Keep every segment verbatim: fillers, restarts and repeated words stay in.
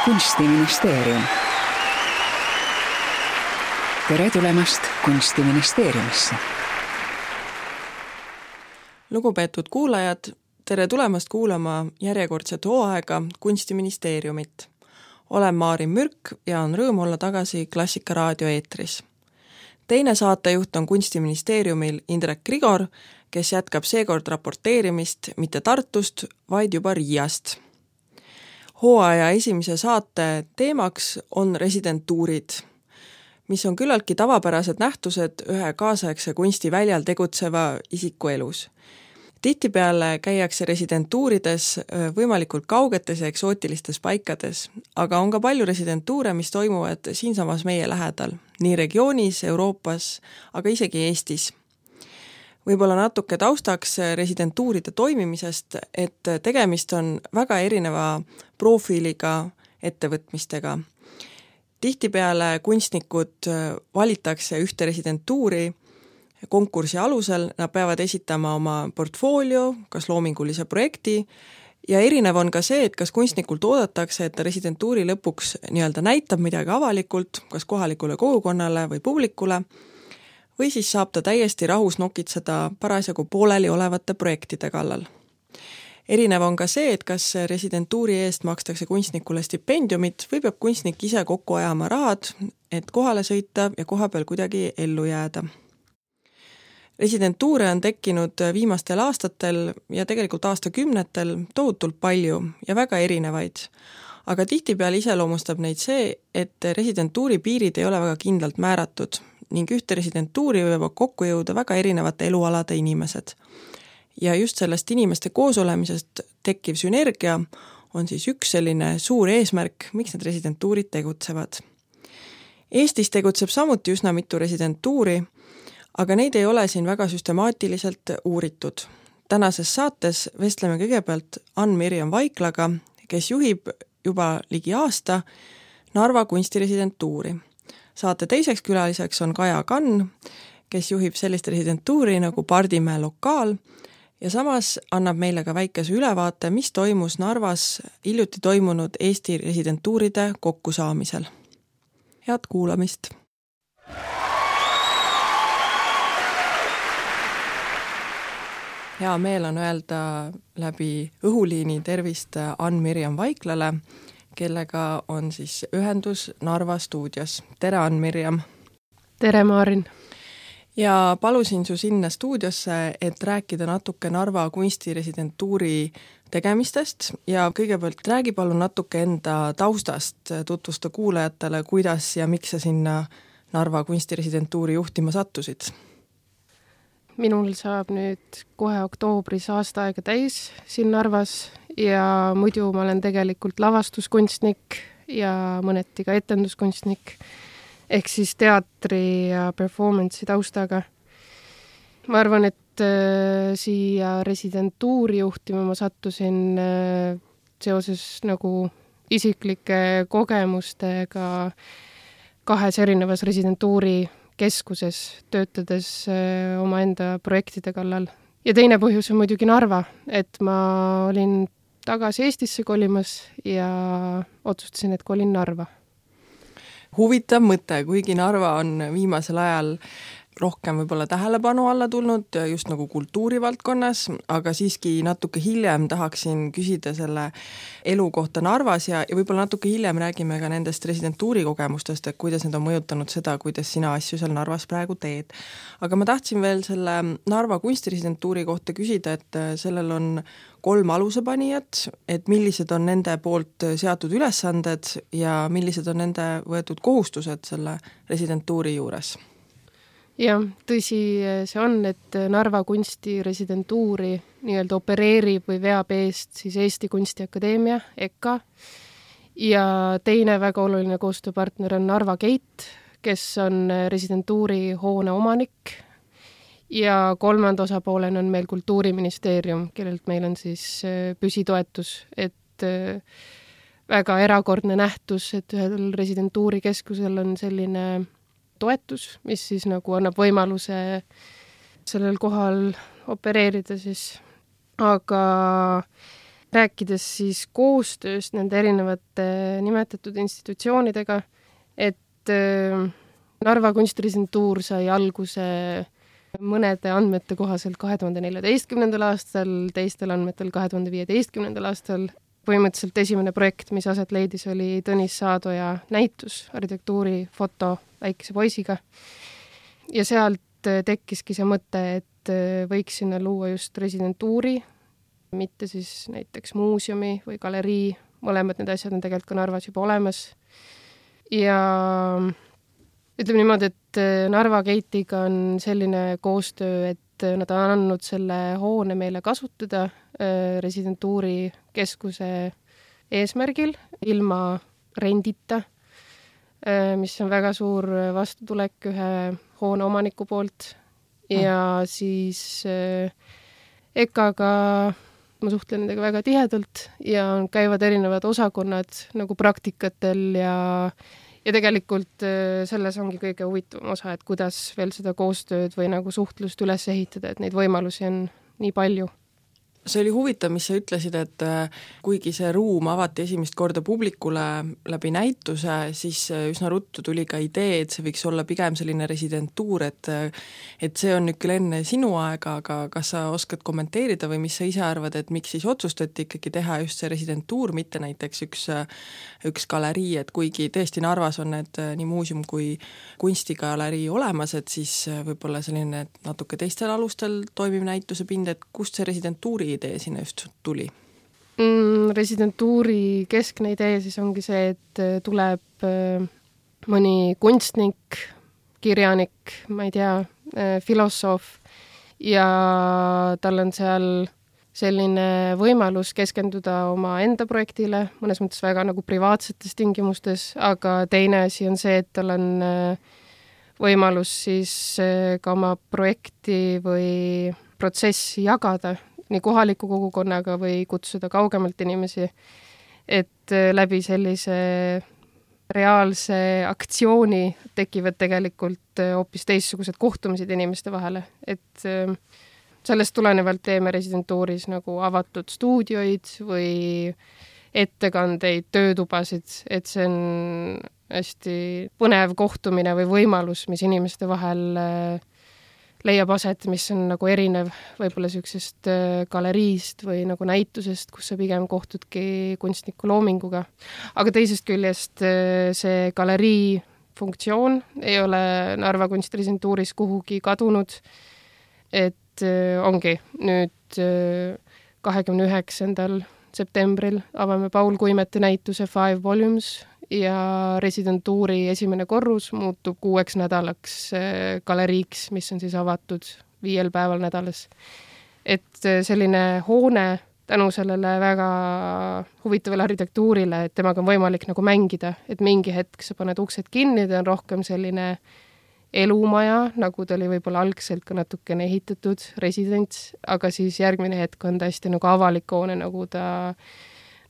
Kunstiministeerium. Tere tulemast Kunstiministeeriumisse. Lugupeetud kuulajad, tere tulemast kuulama järjekordset hooaega Kunstiministeeriumit. Olen Maarin Mürk ja on rõõm olla tagasi Klassika raadio eetris. Teine saatejuht on Kunstiministeeriumil Indrek Grigor, kes jätkab seekord raporteerimist mitte Tartust, vaid juba Riiast. Hooaja esimese saate teemaks on residentuurid, mis on küllaltki tavapärased nähtused ühe kaasaegse kunstiväljal tegutseva isiku elus. Tihtipeale käiakse residentuurides võimalikult kaugetes ja eksootilistes paikades, aga on ka palju residentuure, mis toimuvad siinsamas meie lähedal, nii regioonis, Euroopas, aga isegi Eestis. Võib-olla natuke taustaks residentuuride toimimisest, et tegemist on väga erineva profiiliga ettevõtmistega. Tihtipeale kunstnikud valitakse ühte residentuuri konkursi alusel, nad peavad esitama oma portfoolio, kas loomingulise projekti, ja erinev on ka see, et kas kunstnikult oodatakse, et ta residentuuri lõpuks nii-öelda näitab midagi avalikult, kas kohalikule kogukonnale või publikule, või siis saab ta täiesti rahus nokitseda parasjagu pooleli olevate projektide kallal. Erinev on ka see, et kas residentuuri eest makstakse kunstnikule stipendiumit või peab kunstnik ise kokku ajama rahad, et kohale sõita ja koha peal kuidagi ellu jääda. Residentuure on tekkinud viimastel aastatel ja tegelikult aastakümnetel tohutult palju ja väga erinevaid, aga tihtipeale iseloomustab neid see, et residentuuri piirid ei ole väga kindlalt määratud ning ühte residentuuri võivad kokku jõuda väga erinevate elualade inimesed. Ja just sellest inimeste koosolemisest tekkiv sünergia on siis üks selline suur eesmärk, miks need residentuurid tegutsevad. Eestis tegutseb samuti üsna mitu residentuuri, aga neid ei ole siin väga süstemaatiliselt uuritud. Tänases saates vestleme kõigepealt Ann-Mirjam Vaiklaga, kes juhib juba ligi aasta Narva kunstiresidentuuri. Saate teiseks külaliseks on Kaja Kann, kes juhib sellist residentuuri nagu Pardimäe lokaal ja samas annab meile ka väikese ülevaate, mis toimus Narvas hiljuti toimunud Eesti residentuuride kokkusaamisel. Head kuulamist! Hea meel on öelda läbi õhuliini tervist Ann-Mirjam Vaiklale, kellega on siis ühendus Narva stuudios. Tere, Ann-Mirjam! Tere, Maarin! Ja palusin su sinna stuudiosse, et rääkida natuke Narva kunstiresidentuuri tegemistest ja kõigepealt räägi palun natuke enda taustast, tutvusta kuulajatele, kuidas ja miks sa sinna Narva kunstiresidentuuri juhtima sattusid. Minul saab nüüd kohe oktoobris aasta aega täis siin Narvas ja muidu ma olen tegelikult lavastuskunstnik ja mõneti ka etenduskunstnik ehk siis teatri ja performance'i taustaga. Ma arvan, et äh, siia residentuuri juhtima ma sattusin äh, seoses nagu isiklike kogemustega kahes erinevas residentuuri keskuses töötades öö, omaenda projektide kallal. Ja teine põhjus on muidugi Narva, et ma olin tagasi Eestisse kolimas ja otsustasin, et kolin Narva. Huvitav mõte, kuigi Narva on viimasel ajal rohkem võib-olla tähelepanu alla tulnud just nagu kultuurivaldkonnas, aga siiski natuke hiljem tahaksin küsida selle elu kohta Narvas ja, ja võib-olla natuke hiljem räägime ka nendest residentuuri kogemustest, et kuidas need on mõjutanud seda, kuidas sina asju seal Narvas praegu teed. Aga ma tahtsin veel selle Narva kunstiresidentuuri kohta küsida, et sellel on kolm alusepanijat, et millised on nende poolt seatud ülesanded ja millised on nende võetud kohustused selle residentuuri juures. Jah, tõsi see on, et Narva kunstiresidentuuri nii-öelda opereerib või veab eest siis Eesti Kunstiakadeemia, E K A, ja teine väga oluline koostööpartner on Narva Gate, kes on residentuuri hoone omanik, ja kolmanda osapoolena on meil Kultuuriministeerium, kellelt meil on siis püsitoetus, et väga erakordne nähtus, et ühel residentuuri keskusel on selline toetus, mis siis nagu annab võimaluse sellel kohal opereerida siis. Aga rääkides siis koostööst nende erinevate nimetatud institutsioonidega, et Narva kunstresidentuur sai alguse mõnede andmete kohaselt kahe tuhande neljateistkümnendal aastal, teistel andmetel kahe tuhande viieteistkümnendal aastal. Põhimõtteliselt esimene projekt, mis aset leidis, oli Tõnis Saadoja näitus, arhitektuuri foto väikese poisiga. Ja sealt tekkiski see mõte, et võiks sinna luua just residentuuri, mitte siis näiteks muuseumi või galerii. Mõlemad need asjad on tegelikult ka Narvas juba olemas. Ja ütleme niimoodi, et Narva Gateiga on selline koostöö, et nad on andnud selle hoone meile kasutada residentuuri keskuse eesmärgil, ilma rendita, mis on väga suur vastutulek ühe hoone omaniku poolt. Ja siis EKAga ma suhtlen nendega väga tihedalt ja käivad erinevad osakonnad nagu praktikatel ja Ja tegelikult selles ongi kõige huvitavam osa, et kuidas veel seda koostööd või nagu suhtlust üles ehitada, et neid võimalusi on nii palju. See oli huvitav, mis sa ütlesid, et kuigi see ruum avati esimest korda publikule läbi näituse, siis üsna ruttu tuli ka idee, et see võiks olla pigem selline residentuur, et, et see on nüüd küll enne sinu aega, aga kas sa oskad kommenteerida või mis sa ise arvad, et miks siis otsustati ikkagi teha just see residentuur, mitte näiteks üks, üks galerii, et kuigi tõesti Narvas on need nii muuseum kui kunstigalerii olemas, et siis võib-olla selline natuke teistel alustel toimiv näituse pind, et kust see residentuuri idee sinna just tuli? Mm, residentuuri keskne idee siis ongi see, et tuleb mõni kunstnik, kirjanik, ma ei tea, filosoof ja tal on seal selline võimalus keskenduda oma enda projektile, mõnes mõttes väga nagu privaatsetes tingimustes, aga teine asi on see, et tal on võimalus siis ka oma projekti või protsessi jagada nii kohaliku kogukonnaga või kutsuda kaugemalt inimesi, et läbi sellise reaalse aktsiooni tekivad tegelikult hoopis teistsugused kohtumised inimeste vahele. Et sellest tulenevalt teeme residentuuris nagu avatud stuudioid või ettekandeid, töötubasid, et see on hästi põnev kohtumine või võimalus, mis inimeste vahel leiab aset, mis on nagu erinev võib-olla sellisest galeriist või nagu näitusest, kus sa pigem kohtudki kunstniku loominguga. Aga teisest küljest see galerii funktsioon ei ole Narva kunstresidentuuris kuhugi kadunud, et ongi nüüd kahekümne üheksandal septembril avame Paul Kuimete näituse Five Volumes ja residentuuri esimene korrus muutub kuueks nädalaks galeriiks, mis on siis avatud viiel päeval nädalas. Et selline hoone tänu sellele väga huvitavale arhitektuurile, et temaga on võimalik nagu mängida, et mingi hetk sa paned uksed kinni, ta on rohkem selline elumaja, nagu ta oli võib-olla algselt ka natukene ehitatud residents, aga siis järgmine hetk on ta hästi nagu avalik hoone, nagu ta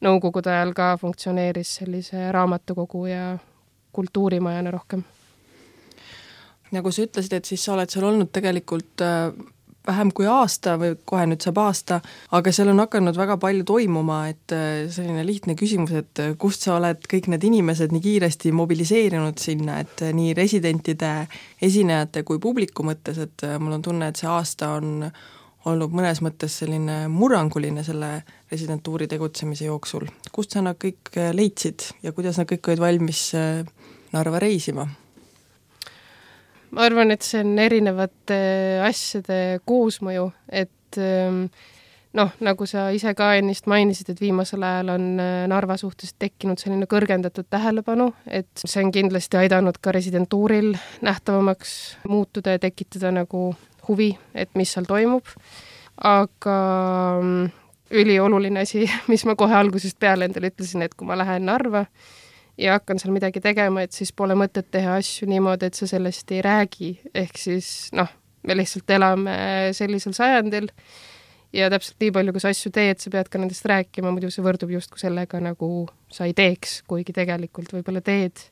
nõukogude ajal ka funktsioneeris sellise raamatukogu ja kultuurimajana rohkem. Nagu sa ütlesid, et siis sa oled seal olnud tegelikult vähem kui aasta või kohe nüüd saab aasta, aga seal on hakanud väga palju toimuma, et selline lihtne küsimus, et kust sa oled kõik need inimesed nii kiiresti mobiliseerinud sinna, et nii residentide, esinejate kui publiku mõttes, et mul on tunne, et see aasta on olnud mõnes mõttes selline murranguline selle residentuuri tegutsemise jooksul. Kust sa nad kõik leidsid ja kuidas nad kõik olid valmis Narva reisima? Ma arvan, et see on erinevate asjade koosmõju, et noh, nagu sa ise ka ennist mainisid, et viimasel ajal on Narva suhtes tekkinud selline kõrgendatud tähelepanu, et see on kindlasti aidanud ka residentuuril nähtavamaks muutuda ja tekitada nagu huvi, et mis seal toimub. Aga ülioluline asi, mis ma kohe algusest peale endale ütlesin, et kui ma lähen Narva ja hakkan seal midagi tegema, et siis pole mõtet teha asju niimoodi, et sa sellest ei räägi. Ehk siis, noh, me lihtsalt elame sellisel sajandil ja täpselt nii palju, kui sa asju teed, sa pead ka nendest rääkima, muidu see võrdub justkui sellega, nagu sa ei teeks, kuigi tegelikult võib-olla teed.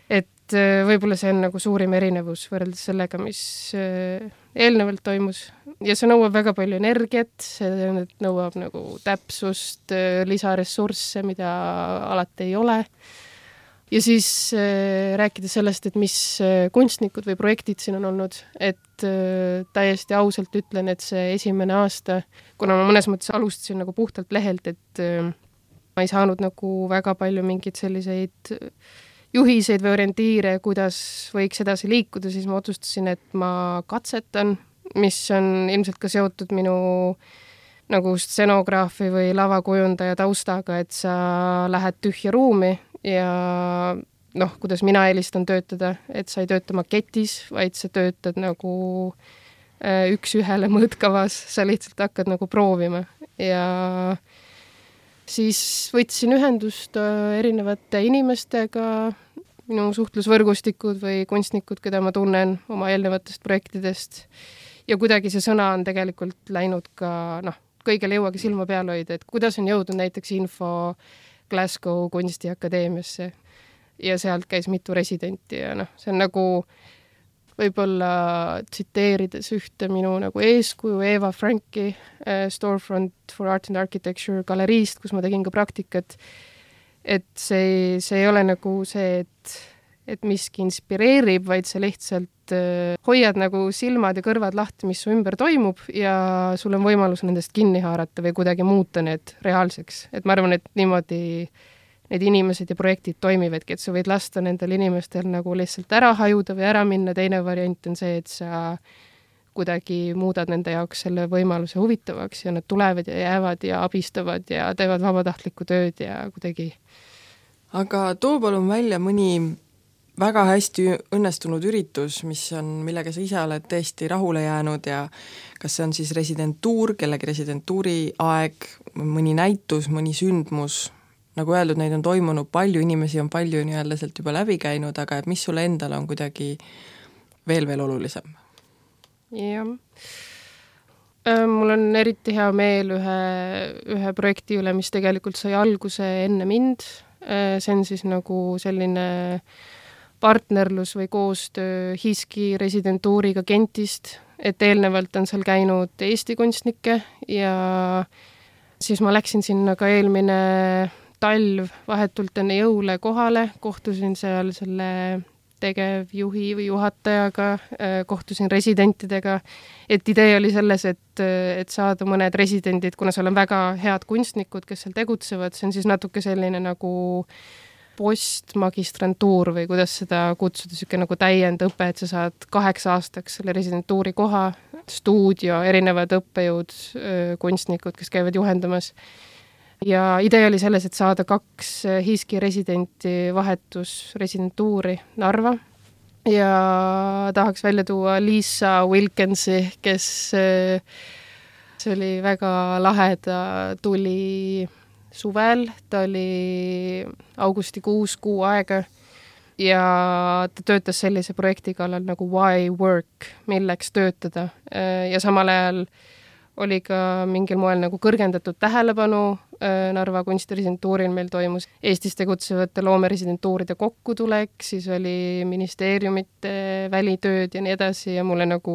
Et et võib-olla see on nagu suurim erinevus võrreldes sellega, mis eelnevalt toimus. Ja see nõuab väga palju energiat, see nõuab nagu täpsust, lisaressursse, mida alati ei ole. Ja siis rääkida sellest, et mis kunstnikud või projektid siin on olnud, et täiesti ausalt ütlen, et see esimene aasta, kuna ma mõnes mõttes alustasin nagu puhtalt lehelt, et ma ei saanud nagu väga palju mingeid selliseid juhiseid või orientiire, kuidas võiks edasi liikuda, siis ma otsustasin, et ma katsetan, mis on ilmselt ka seotud minu nagu stsenograafi või lavakujundaja taustaga, et sa lähed tühja ruumi ja noh, kuidas mina eelistan töötada, et sa ei tööta maketis, vaid sa töötad nagu üks ühele mõõtkavas, sa lihtsalt hakkad nagu proovima ja siis võtsin ühendust erinevate inimestega, minu suhtlusvõrgustikud või kunstnikud, keda ma tunnen oma eelnevatest projektidest ja kuidagi see sõna on tegelikult läinud ka, noh, kõigele jõuagi silma peal hoida, et kuidas on jõudnud näiteks info Glasgow kunstiakadeemiasse ja sealt käis mitu residenti ja noh, see on nagu võib-olla tsiteerides ühte minu nagu eeskuju Eva Franki äh, Storefront for Art and Architecture galeriist, kus ma tegin ka praktikat, et see, see ei ole nagu see, et, et miski inspireerib, vaid sa lihtsalt äh, hoiad nagu silmad ja kõrvad lahti, mis su ümber toimub ja sul on võimalus nendest kinni haarata või kuidagi muuta need reaalseks. Et ma arvan, et niimoodi need inimesed ja projektid toimivadki, et sa võid lasta nendel inimestel nagu lihtsalt ära hajuda või ära minna, teine variant on see, et sa kuidagi muudad nende jaoks selle võimaluse huvitavaks ja nad tulevad ja jäävad ja abistavad ja teevad vabatahtlikku tööd ja kuidagi. Aga too palun välja mõni väga hästi õnnestunud üritus, mis on, millega sa ise oled tõesti rahule jäänud ja kas see on siis residentuur, kellegi residentuuri aeg, mõni näitus, mõni sündmus. Nagu öeldud, neid on toimunud palju, inimesi on palju nii-öelda sealt juba läbi käinud, aga et mis sulle endale on kuidagi veel veel olulisem? Jah. Mul on eriti hea meel ühe, ühe projekti üle, mis tegelikult sai alguse enne mind. See on siis nagu selline partnerlus või koostöö Hiski residentuuriga Gentist, et eelnevalt on seal käinud Eesti kunstnikke ja siis ma läksin sinna ka eelmine talv vahetult enne jõule kohale, kohtusin seal selle tegevjuhi või juhatajaga, kohtusin residentidega, et idee oli selles, et, et saada mõned residendid, kuna seal on väga head kunstnikud, kes seal tegutsevad, see on siis natuke selline nagu postmagistrantuur või kuidas seda kutsuda, siuke nagu täiendõpe, et sa saad kaheksa aastaks selle residentuuri koha, stuudio, erinevad õppejõud, kunstnikud, kes käivad juhendamas. Ja idee oli selles, et saada kaks Hiski residenti vahetus residentuuri Narva ja tahaks välja tuua Lisa Wilkinsi, kes see oli väga lahe, ta tuli suvel, ta oli augustikuus kuu aega ja ta töötas sellise projekti kallal nagu Why Work, milleks töötada ja samal ajal oli ka mingil moel nagu kõrgendatud tähelepanu Narva kunstiresidentuuril meil toimus Eestis tegutsevate loomeresidentuuride kokkutulek, siis oli ministeeriumite välitööd ja nii edasi ja mulle nagu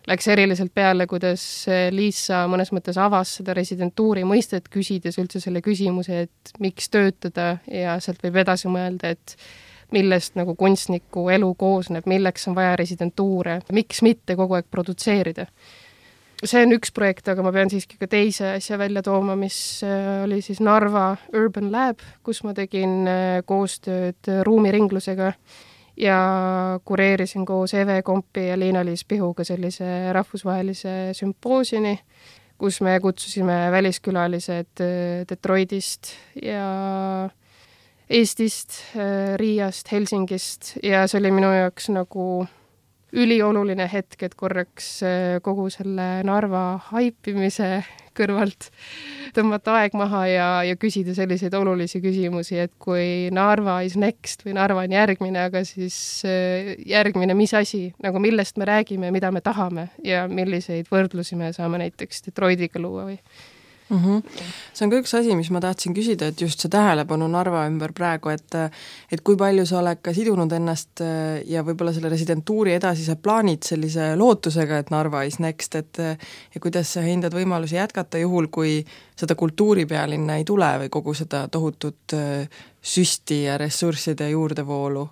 läks eriliselt peale, kuidas Liisa mõnes mõttes avas seda residentuuri mõistet, küsides üldse selle küsimuse, et miks töötada ja sealt võib edasi mõelda, et millest nagu kunstniku elu koosneb, milleks on vaja residentuure, miks mitte kogu aeg produtseerida. See on üks projekt, aga ma pean siiski ka teise asja välja tooma, mis oli siis Narva Urban Lab, kus ma tegin koostööd ruumiringlusega ja kureerisin koos Eve Kompi ja Liina-Liis Pihuga sellise rahvusvahelise sümpoosiumi, kus me kutsusime väliskülalised Detroitist ja Eestist, Riiast, Helsingist ja see oli minu jaoks nagu ülioluline hetk, et korraks kogu selle Narva haipimise kõrvalt tõmmata aeg maha ja, ja küsida selliseid olulisi küsimusi, et kui Narva is next või Narva on järgmine, aga siis järgmine mis asi, nagu millest me räägime, mida me tahame ja milliseid võrdlusi me saame näiteks Detroitiga luua või Mm-hmm. See on ka üks asi, mis ma tahtsin küsida, et just see tähelepanu Narva ümber praegu, et et kui palju sa oled ka sidunud ennast ja võib-olla selle residentuuri edasise plaanid sellise lootusega, et Narva is next, et ja kuidas sa hindad võimalusi jätkata juhul, kui seda kultuuripealinna ei tule või kogu seda tohutut süsti ja ressursside juurdevoolu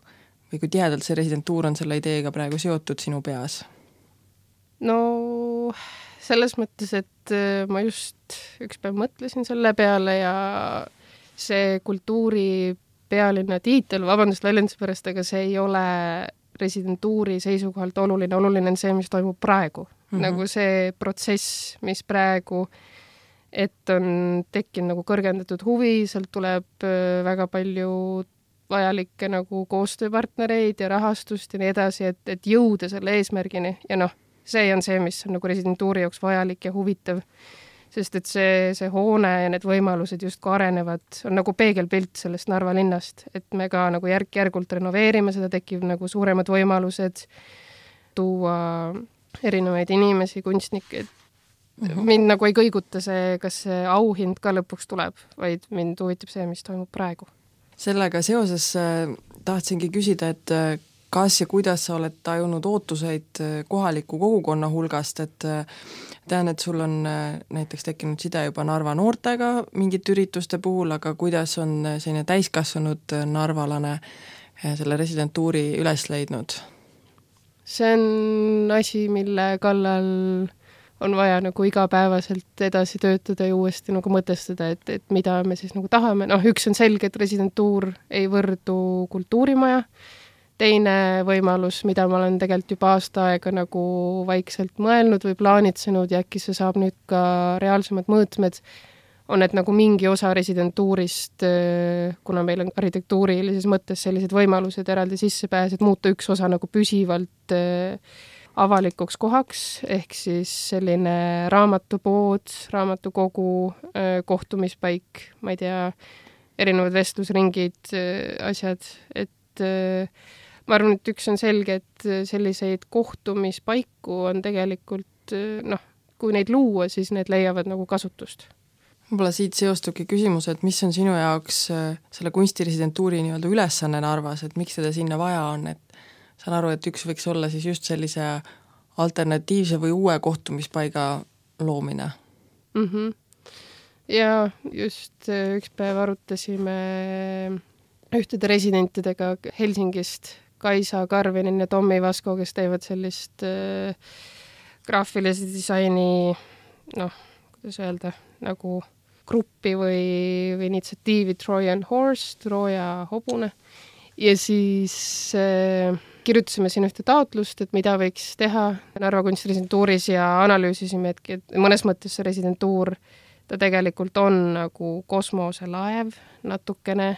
või kui tihedalt see residentuur on selle ideega praegu seotud sinu peas? No selles mõttes, et ma just üks päev mõtlesin selle peale ja see kultuuri pealinna tiitel, vabandust väljenduse pärast, aga see ei ole residentuuri seisukohalt oluline, oluline on see, mis toimub praegu. Mm-hmm. Nagu see protsess, mis praegu, et on tekkinud nagu kõrgendatud huvi, sealt tuleb väga palju vajalikke nagu koostööpartnereid ja rahastust ja nii edasi, et, et jõuda selle eesmärgini ja noh, see on see, mis on nagu residentuuri jaoks vajalik ja huvitav, sest et see, see hoone ja need võimalused justkui arenevad, on nagu peegelpilt sellest Narva linnast, et me ka nagu järk-järgult renoveerime, seda tekib nagu suuremad võimalused tuua erinevaid inimesi, kunstnikke, et mm-hmm. mind nagu ei kõiguta see, kas see auhind ka lõpuks tuleb, vaid mind huvitab see, mis toimub praegu. Sellega seoses äh, tahtsingi küsida, et äh, kas ja kuidas sa oled tajunud ootuseid kohaliku kogukonna hulgast, et tean, et sul on näiteks tekkinud side juba Narva noortega mingite ürituste puhul, aga kuidas on selline täiskasvanud narvalane selle residentuuri üles leidnud? See on asi, mille kallal on vaja nagu igapäevaselt edasi töötada ja uuesti nagu mõtestada, et, et mida me siis nagu tahame. Noh, üks on selge, et residentuur ei võrdu kultuurimaja. Teine võimalus, mida ma olen tegelikult juba aasta aega nagu vaikselt mõelnud või plaanitsenud ja äkki see saab nüüd ka reaalsemad mõõtmed, on, et nagu mingi osa residentuurist, kuna meil on arhitektuurilises mõttes sellised võimalused eraldi sissepääs, et muuta üks osa nagu püsivalt avalikuks kohaks, ehk siis selline raamatupood, raamatukogu, kohtumispaik, ma ei tea, erinevad vestlusringid, asjad, et ma arvan, et üks on selge, et selliseid kohtumispaiku on tegelikult, noh, kui neid luua, siis need leiavad nagu kasutust. Võib-olla siit seostubki küsimus, et mis on sinu jaoks selle kunstiresidentuuri nii-öelda ülesanne Narvas, et miks seda sinna vaja on, et saan aru, et üks võiks olla siis just sellise alternatiivse või uue kohtumispaiga loomine. Mm-hmm. Ja just üks päev arutasime ühtede residentidega Helsingist, Kaisa Karvinin ja Tommi Vasko, kes teevad sellist äh, graafilise disaini, noh, kuidas öelda, nagu gruppi või, või initsiatiivi Trojan Horse, Trooja hobune. Ja siis äh, kirjutasime siin ühte taotlust, et mida võiks teha Narva kunstresidentuuris ja analüüsisime, et, et mõnes mõttes see residentuur ta tegelikult on nagu kosmoselaev, natukene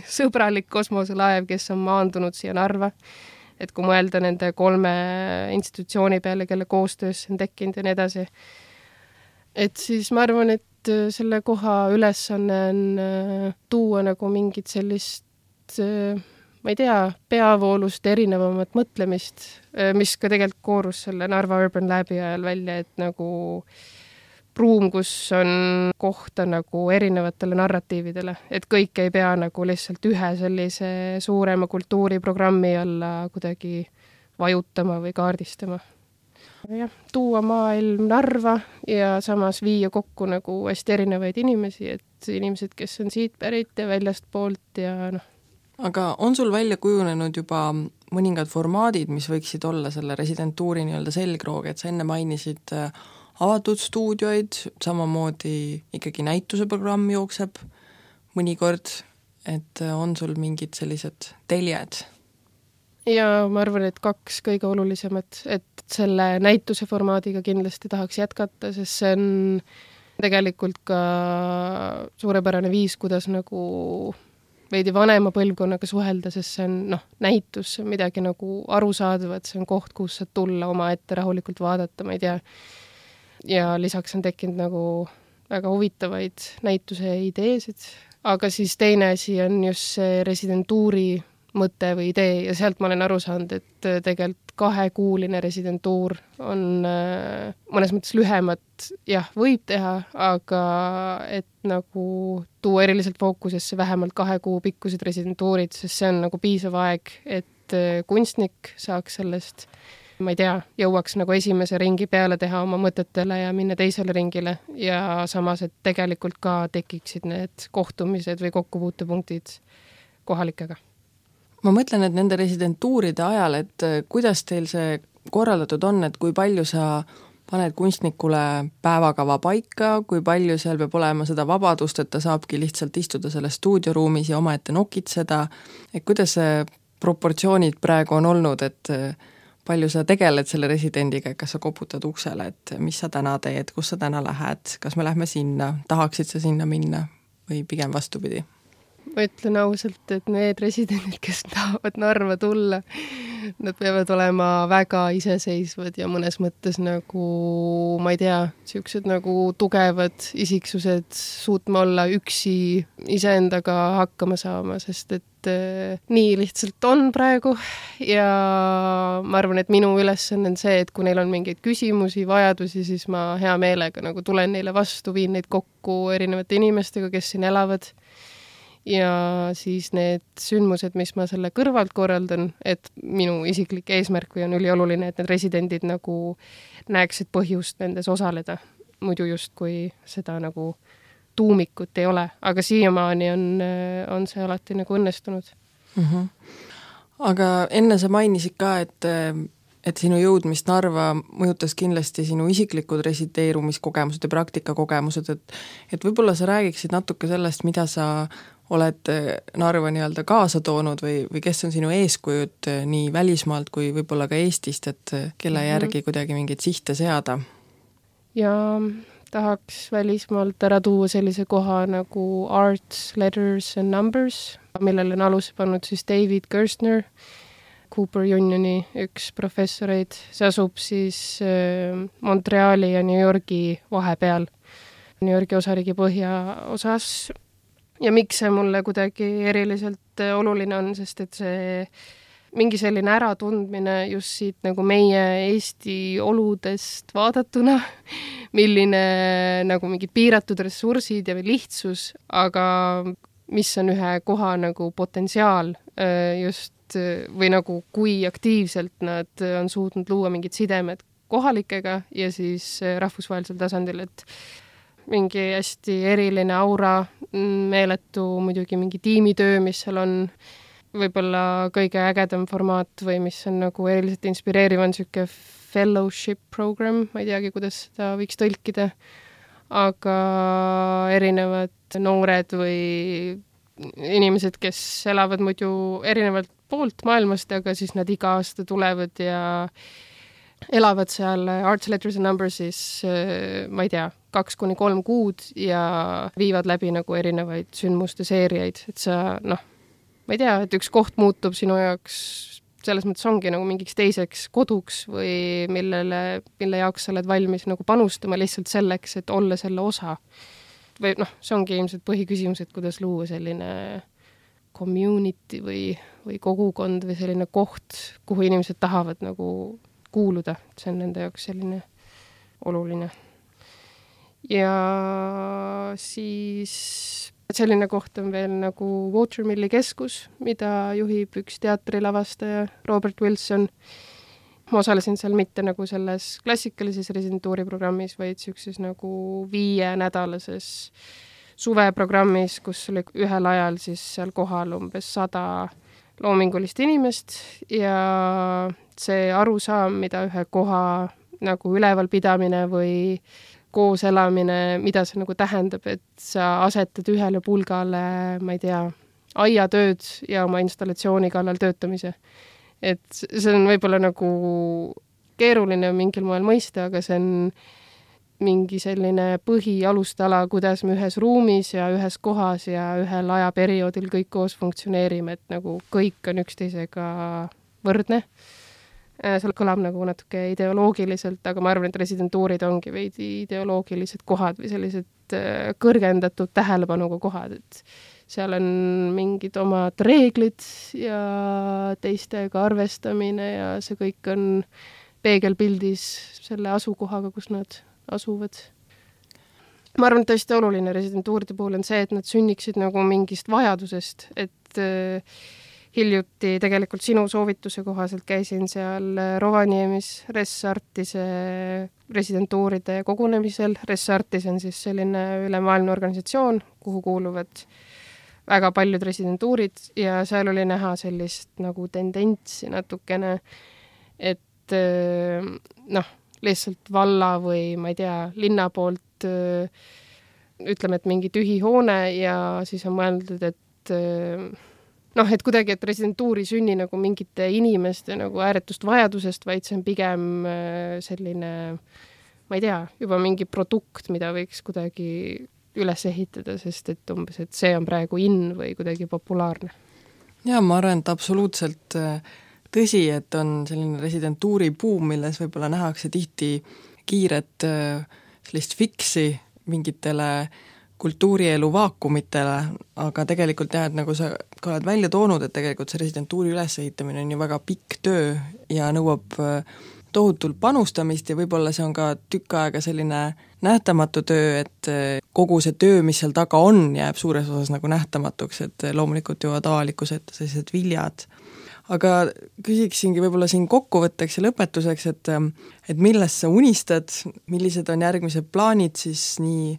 sõbralik kosmoselaev, kes on maandunud siia Narva. Et kui mõelda nende kolme institutsiooni peale, kelle koostöös on tekkinud ja nii edasi. Et siis ma arvan, et selle koha ülesanne on tuua nagu mingit sellist, ma ei tea, peavoolust erinevamat mõtlemist, mis ka tegelikult koorus selle Narva Urban Labi ajal välja, et nagu ruum, kus on kohta nagu erinevatele narratiividele, et kõik ei pea nagu lihtsalt ühe sellise suurema kultuuriprogrammi alla kuidagi vajutama või kaardistama. Jah, tuua maailm Narva ja samas viia kokku nagu hästi erinevaid inimesi, et inimesed, kes on siit pärit ja väljast poolt ja noh. Aga on sul välja kujunenud juba mõningad formaadid, mis võiksid olla selle residentuuri nii-öelda selgroog, et sa enne mainisid avatud stuudioid, samamoodi ikkagi näituse programm jookseb mõnikord, et on sul mingid sellised teljed? Ja ma arvan, et kaks kõige olulisemat, et selle näituse formaadiga kindlasti tahaks jätkata, sest see on tegelikult ka suurepärane viis, kuidas nagu veidi vanema põlvkonnaga suhelda, sest see on noh, näitus, see on midagi nagu arusaadavat, see on koht, kus saad tulla oma ette rahulikult vaadata, ma ei tea. Ja lisaks on tekkinud nagu väga huvitavaid näituse ideesid, aga siis teine asi on just see residentuuri mõte või idee ja sealt ma olen aru saanud, et tegelikult kahekuuline residentuur on mõnes mõttes lühemat, jah, võib teha, aga et nagu tuua eriliselt fookusesse vähemalt kahe kuu pikkused residentuurid, sest see on nagu piisav aeg, et kunstnik saaks sellest, ma ei tea, jõuaks nagu esimese ringi peale teha oma mõtetele ja minna teisele ringile ja samas, et tegelikult ka tekiksid need kohtumised või kokkupuutepunktid kohalikega. Ma mõtlen, et nende residentuuride ajal, et kuidas teil see korraldatud on, et kui palju sa paned kunstnikule päevakava paika, kui palju seal peab olema seda vabadust, et ta saabki lihtsalt istuda selles stuudioruumis ja omaette nokitseda, et kuidas see proportsioonid praegu on olnud, et palju sa tegeled selle residendiga, kas sa koputad uksele, et mis sa täna teed, kus sa täna lähed, kas me lähme sinna, tahaksid sa sinna minna või pigem vastupidi? Ma ütlen ausalt, et need residendid, kes tahavad Narva tulla, nad peavad olema väga iseseisvad ja mõnes mõttes nagu, ma ei tea, siuksed nagu tugevad isiksused suutma olla üksi iseendaga hakkama saama, sest et äh, nii lihtsalt on praegu ja ma arvan, et minu ülesanne on see, et kui neil on mingeid küsimusi, vajadusi, siis ma hea meelega nagu tulen neile vastu, viin neid kokku erinevate inimestega, kes siin elavad. Ja siis need sündmused, mis ma selle kõrvalt korraldan, et minu isiklik eesmärk või on ülioluline, et need residendid nagu näeksid põhjust nendes osaleda. Muidu just kui seda nagu tuumikut ei ole, aga siiamaani on, on see alati nagu õnnestunud. Mm-hmm. Aga enne sa mainisid ka, et, et sinu jõudmist Narva mõjutas kindlasti sinu isiklikud resideerumiskogemused ja praktikakogemused, et, et võib-olla sa räägiksid natuke sellest, mida sa oled Narva nii-öelda kaasa toonud või, või kes on sinu eeskujud nii välismaalt kui võib-olla ka Eestist, et kelle järgi kuidagi mingeid sihte seada? Ja tahaks välismaalt ära tuua sellise koha nagu Arts, Letters and Numbers, millele on aluse pannud siis David Gerstner, Cooper Unioni üks professoreid. See asub siis Montreali ja New Yorgi vahepeal, New Yorgi osariigi põhjaosas. Ja miks see mulle kuidagi eriliselt oluline on, sest et see mingi selline äratundmine just siit nagu meie Eesti oludest vaadatuna, milline nagu mingid piiratud ressursid ja lihtsus, aga mis on ühe koha nagu potentsiaal just või nagu kui aktiivselt nad on suutnud luua mingid sidemed kohalikega ja siis rahvusvahelisel tasandil, et mingi hästi eriline aura, meeletu muidugi mingi tiimitöö, mis seal on võib-olla kõige ägedam formaat või mis on nagu eriliselt inspireeriv on siuke fellowship program, ma ei teagi, kuidas seda võiks tõlkida, aga erinevad noored või inimesed, kes elavad muidu erinevalt poolt maailmast, aga siis nad iga aasta tulevad ja elavad seal Arts, Letters and Numbersis, ma ei tea, kaks kuni kolm kuud ja viivad läbi nagu erinevaid sündmuste seeriaid, et sa, noh, ma ei tea, et üks koht muutub sinu jaoks, selles mõttes ongi nagu mingiks teiseks koduks või millele, mille jaoks sa oled valmis nagu panustama lihtsalt selleks, et olla selle osa. Või noh, see ongi ilmselt põhiküsimus, et kuidas luua selline community või, või kogukond või selline koht, kuhu inimesed tahavad nagu kuuluda, see on nende jaoks selline oluline. Ja siis selline koht on veel nagu Watermilli keskus, mida juhib üks teatrilavastaja Robert Wilson. Ma osalesin seal mitte nagu selles klassikalises residentuuriprogrammis, vaid siukses nagu viie nädalases suveprogrammis, kus oli ühel ajal siis seal kohal umbes sada loomingulist inimest ja see arusaam, mida ühe koha nagu ülevalpidamine või koos elamine, mida see nagu tähendab, et sa asetad ühele pulgale, ma ei tea, aiatööd ja oma installatsiooni kallal töötamise. Et see on võib-olla nagu keeruline mingil moel mõista, aga see on mingi selline põhialustala, kuidas me ühes ruumis ja ühes kohas ja ühel ajaperioodil kõik koos funktsioneerime, et nagu kõik on üksteisega võrdne. Seal kõlab nagu natuke ideoloogiliselt, aga ma arvan, et residentuurid ongi veidi ideoloogilised kohad või sellised kõrgendatud tähelepanuga kohad, et seal on mingid omad reeglid ja teistega arvestamine ja see kõik on peegelpildis selle asukohaga, kus nad asuvad. Ma arvan, et tõesti oluline residentuuride puhul on see, et nad sünniksid nagu mingist vajadusest, et äh, hiljuti tegelikult sinu soovituse kohaselt käisin seal Rovaniemis Res-Artise residentuuride kogunemisel. Res-Artis on siis selline ülemaailmne organisatsioon, kuhu kuuluvad väga paljud residentuurid ja seal oli näha sellist nagu tendentsi natukene, et äh, noh, lihtsalt valla või ma ei tea, linna poolt ütleme, et mingi tühi hoone ja siis on mõeldud, et noh, et kuidagi, et residentuuri sünni nagu mingite inimeste nagu ääretust vajadusest, vaid see on pigem selline, ma ei tea, juba mingi produkt, mida võiks kuidagi üles ehitada, sest et umbes, et see on praegu in või kuidagi populaarne. Ja ma arvan, et absoluutselt tõsi, et on selline residentuuri buum, milles võib-olla nähakse tihti kiiret sellist fiksi mingitele kultuurielu vaakumitele, aga tegelikult jah, et nagu sa ka oled välja toonud, et tegelikult see residentuuri ülesehitamine on ju väga pikk töö ja nõuab tohutult panustamist ja võib-olla see on ka tükk aega selline nähtamatu töö, et kogu see töö, mis seal taga on, jääb suures osas nagu nähtamatuks, et loomulikult jõuavad avalikkuse ette sellised viljad. Aga küsiksingi võib-olla siin kokkuvõtteks ja lõpetuseks, et, et millest sa unistad, millised on järgmised plaanid siis nii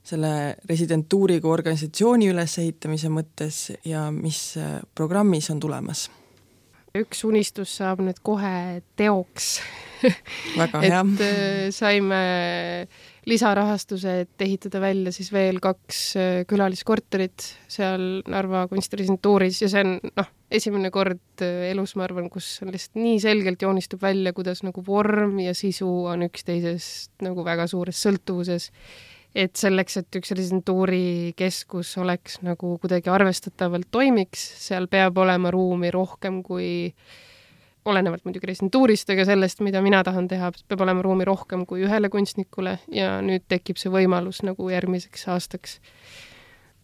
selle residentuuri kui organisatsiooni ülesehitamise mõttes ja mis programmis on tulemas? Üks unistus saab nüüd kohe teoks. Väga hea. et saime lisarahastuse, et ehitada välja siis veel kaks külaliskorterit seal Narva kunstiresidentuuris ja see on noh, esimene kord elus, ma arvan, kus on lihtsalt nii selgelt joonistub välja, kuidas nagu vorm ja sisu on üksteisest nagu väga suures sõltuvuses. Et selleks, et üks residentuuri keskus oleks nagu kuidagi arvestatavalt toimiks, seal peab olema ruumi rohkem kui olenevalt muidugi residentuurist, aga sellest, mida mina tahan teha, peab olema ruumi rohkem kui ühele kunstnikule ja nüüd tekib see võimalus nagu järgmiseks aastaks.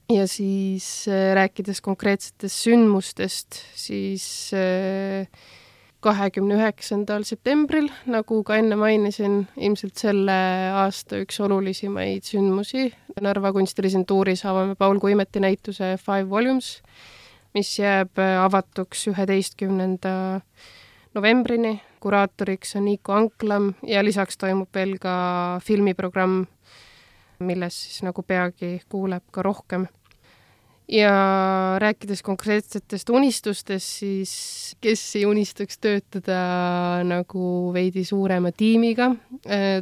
Ja siis äh, rääkides konkreetsetest sündmustest, siis äh, kahekümne üheksandal septembril, nagu ka enne mainisin, ilmselt selle aasta üks olulisimaid sündmusi. Narva kunstirisentuuris avame Paul Kuimeti näituse Five Volumes, mis jääb avatuks üheteistkümnenda novembrini. Kuraatoriks on Niiko Anklam ja lisaks toimub veel ka filmiprogramm, milles siis nagu peagi kuuleb ka rohkem. Ja rääkides konkreetsetest unistustest, siis kes ei unistaks töötada nagu veidi suurema tiimiga,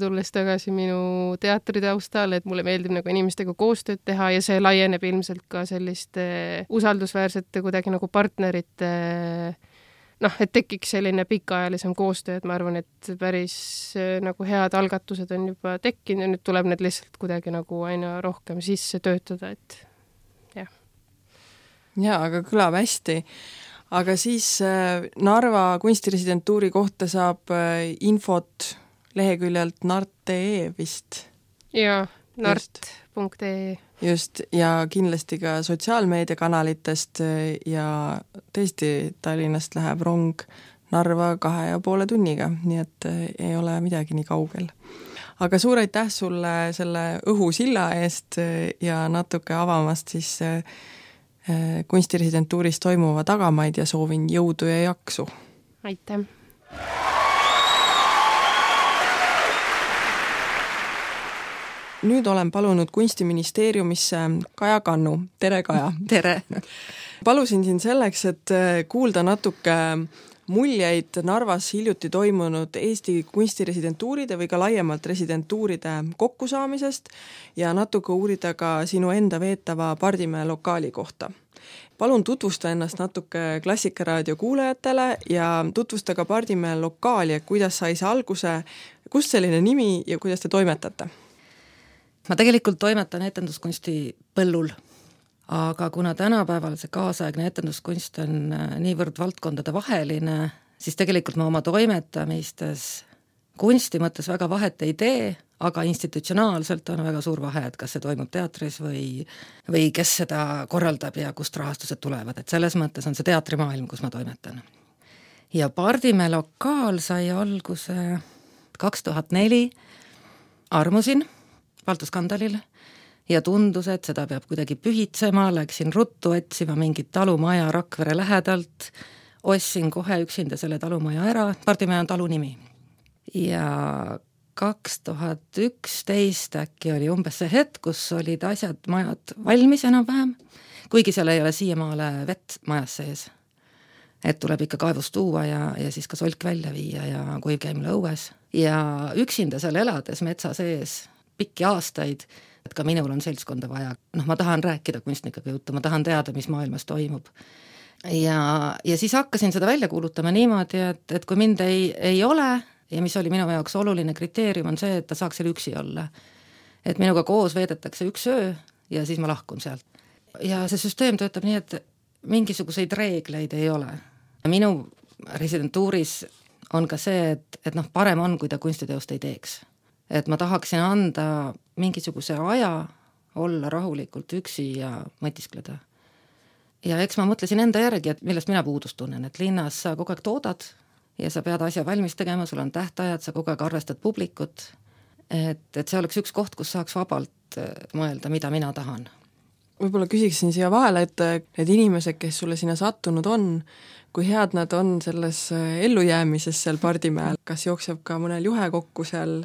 tulles tagasi minu teatritaustale, et mulle meeldib nagu inimestega koostööd teha ja see laieneb ilmselt ka selliste usaldusväärsete kuidagi nagu partnerite, noh, et tekiks selline pikaajalisem koostöö, et ma arvan, et päris nagu head algatused on juba tekkinud ja nüüd tuleb need lihtsalt kuidagi nagu aina rohkem sisse töötada, et jah. Jaa, aga kõlab hästi. Aga siis Narva kunstiresidentuuri kohta saab infot leheküljelt nart punkt ee vist. Jaa, nart punkt ee. Just, ja kindlasti ka sotsiaalmeediakanalitest ja tõesti Tallinnast läheb rong Narva kahe ja poole tunniga, nii et ei ole midagi nii kaugel. Aga suur aitäh sulle selle õhusilla eest ja natuke avamast siis kunstiresidentuuris toimuva tagamaid ja soovin jõudu ja jaksu. Aitäh! Nüüd olen palunud kunstiministeeriumisse Kaja Kannu. Tere, Kaja! Tere! Palusin siin selleks, et kuulda natuke muljeid Narvas hiljuti toimunud Eesti kunstiresidentuuride või ka laiemalt residentuuride kokkusaamisest ja natuke uurida ka sinu enda veetava Pardimäe lokaali kohta. Palun tutvusta ennast natuke Klassikaraadio kuulajatele ja tutvusta ka Pardimäe lokaali, kuidas sai see alguse, kust selline nimi ja kuidas te toimetate? Ma tegelikult toimetan etenduskunsti põllul, aga kuna tänapäeval see kaasaegne etenduskunst on niivõrd valdkondade vaheline, siis tegelikult ma oma toimetamistes kunsti mõttes väga vahet ei tee, aga institutsionaalselt on väga suur vahe, et kas see toimub teatris või, või kes seda korraldab ja kust rahastused tulevad, et selles mõttes on see teatrimaailm, kus ma toimetan. Ja Pardimäe lokaal sai alguse kaks tuhat neli, armusin Paltuskandalil ja tundus, et seda peab kuidagi pühitsema, läksin ruttu otsima mingit talumaja Rakvere lähedalt, ostsin kohe üksinda selle talumaja ära, Pardimäe on talu nimi. Ja kaks tuhat üksteist äkki oli umbes see hetk, kus olid asjad, majad valmis enam-vähem, kuigi seal ei ole siiamaale vett majas sees. Et tuleb ikka kaevust tuua ja, ja siis ka solk välja viia ja kuivkäimle õues. Ja üksinda seal elades metsa sees pikki aastaid, et ka minul on seltskonda vaja. Noh, ma tahan rääkida kunstnikega juttu, ma tahan teada, mis maailmas toimub. Ja, ja siis hakkasin seda välja kuulutama niimoodi, et, et kui mind ei, ei ole, ja mis oli minu jaoks oluline kriteerium, on see, et ta saaks seal üksi olla. Et minuga koos veedetakse üks öö ja siis ma lahkun sealt. Ja see süsteem töötab nii, et mingisuguseid reegleid ei ole. Minu residentuuris on ka see, et, et noh, parem on, kui ta kunstiteost ei teeks. Et ma tahaksin anda mingisuguse aja olla rahulikult üksi ja mõtiskleda. Ja eks ma mõtlesin enda järgi, et millest mina puudust tunnen, et linnas sa kogu aeg toodad ja sa pead asja valmis tegema, sul on tähtajad, sa kogu aeg arvestad publikut, et, et see oleks üks koht, kus saaks vabalt mõelda, mida mina tahan. Võib-olla küsiksin siia vahele, et need inimesed, kes sulle sinna sattunud on, kui head nad on selles ellujäämises seal Pardimäel, kas jookseb ka mõnel juhe kokku seal?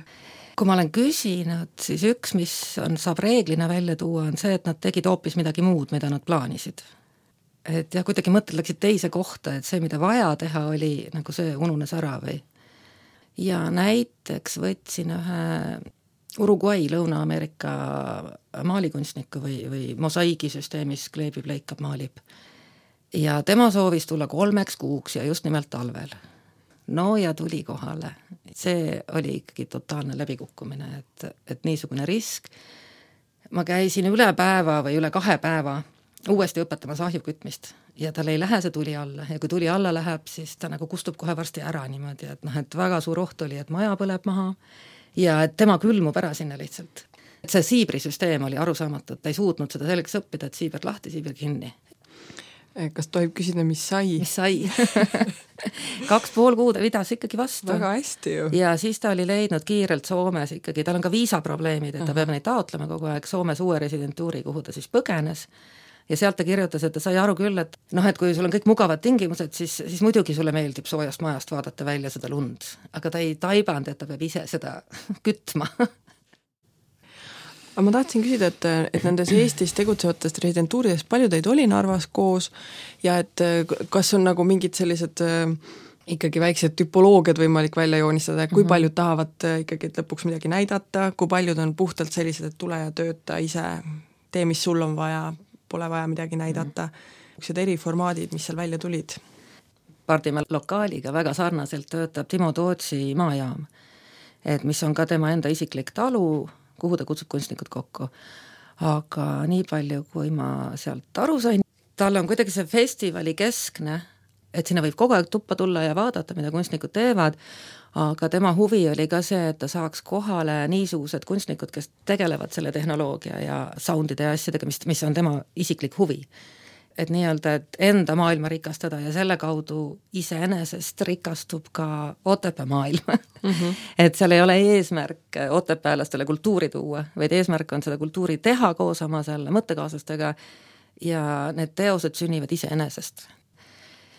Kui ma olen küsinud, siis üks, mis on, saab reeglina välja tuua, on see, et nad tegid hoopis midagi muud, mida nad plaanisid. Et jah, kuidagi mõtted läksid teise kohta, et see, mida vaja teha, oli nagu see ununes ära või. Ja näiteks võtsin ühe Uruguay, Lõuna-Ameerika maalikunstniku või, või mosaiigisüsteemis kleebib, leikab, maalib. Ja tema soovis tulla kolmeks kuuks ja just nimelt talvel. No ja tuli kohale. See oli ikkagi totaalne läbikukkumine, et, et niisugune risk. Ma käisin üle päeva või üle kahe päeva uuesti õpetamas ahjukütmist ja tal ei lähe see tuli alla ja kui tuli alla läheb, siis ta nagu kustub kohe varsti ära niimoodi, et noh, et väga suur oht oli, et maja põleb maha ja et tema külmub ära sinna lihtsalt. Et see siibrisüsteem oli arusaamatu, et ta ei suutnud seda selleks õppida, et siiber lahti, siiber kinni. Kas tohib küsida, mis sai? Mis sai? Kaks pool kuud vidas ikkagi vastu. Väga hästi ju. Ja siis ta oli leidnud kiirelt Soomes ikkagi, tal on ka viisaprobleemid, et ta peab neid taotlema kogu aeg Soomes uue residentuuri, kuhu ta siis põgenes. Ja sealt ta kirjutas, et ta sai aru küll, et noh, et kui sul on kõik mugavad tingimused, siis, siis muidugi sulle meeldib soojast majast vaadata välja seda lund. Aga ta ei taibanud, et ta peab ise seda kütma. Aga ma tahtsin küsida, et, et nendes Eestis tegutsevatest residentuuridest palju teid oli Narvas koos ja et kas on nagu mingid sellised ikkagi väiksed tüpoloogiad võimalik välja joonistada, kui mm-hmm. paljud tahavad ikkagi lõpuks midagi näidata, kui paljud on puhtalt sellised, et tule ja tööta ise, tee, mis sul on vaja, pole vaja midagi näidata. Üks eri formaadid, mis seal välja tulid. Pardimäe lokaaliga väga sarnaselt töötab Timo Tootsi maajaam, et mis on ka tema enda isiklik talu, kuhu ta kutsub kunstnikud kokku. Aga nii palju, kui ma sealt aru sain, tal on kuidagi see festivali keskne, et sinna võib kogu aeg tuppa tulla ja vaadata, mida kunstnikud teevad, aga tema huvi oli ka see, et ta saaks kohale niisugused kunstnikud, kes tegelevad selle tehnoloogia ja soundide ja asjadega, mis, mis on tema isiklik huvi. Et nii-öelda, et enda maailma rikastada ja selle kaudu iseenesest rikastub ka Otepää maailm. Mm-hmm. Et seal ei ole eesmärk otepäälastele kultuuri tuua, vaid eesmärk on seda kultuuri teha koos oma selle mõttekaaslastega ja need teosed sünnivad iseenesest.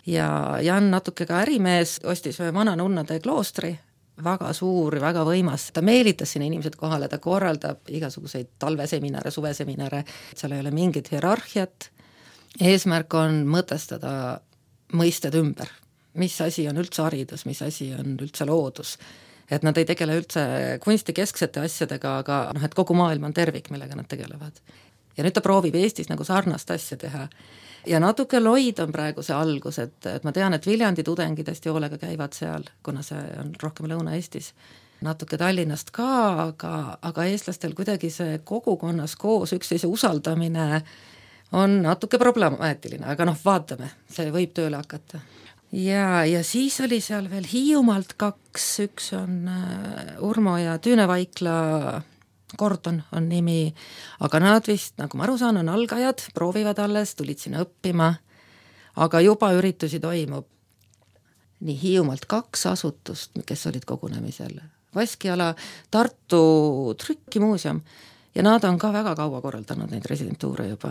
Ja Jan natuke ka ärimees ostis ühe vana nunnade kloostri, väga suur, väga võimas. Ta meelitas sinna inimesed kohale, ta korraldab igasuguseid talveseminare, suveseminare, seal ei ole mingit hierarhiat. Eesmärk on mõtestada mõisted ümber, mis asi on üldse haridus, mis asi on üldse loodus. Et nad ei tegele üldse kunstikesksete asjadega, aga noh, et kogu maailm on tervik, millega nad tegelevad. Ja nüüd ta proovib Eestis nagu sarnast asja teha. Ja natuke loid on praegu see algus, et, et ma tean, et Viljandi tudengid hästi hoolega käivad seal, kuna see on rohkem Lõuna-Eestis. Natuke Tallinnast ka, aga, aga eestlastel kuidagi see kogukonnas koos üksteise usaldamine on natuke problemaatiline, aga noh, vaatame, see võib tööle hakata. ja, ja siis oli seal veel Hiiumaalt kaks, üks on Urmo ja Tüüne Vaikla, Gordon on nimi, aga nad vist, nagu ma aru saan, on algajad, proovivad alles, tulid sinna õppima, aga juba üritusi toimub. Nii Hiiumaalt kaks asutust, kes olid kogunemisel. Vaskiala, Tartu trükkimuuseum ja nad on ka väga kaua korraldanud neid residentuure juba.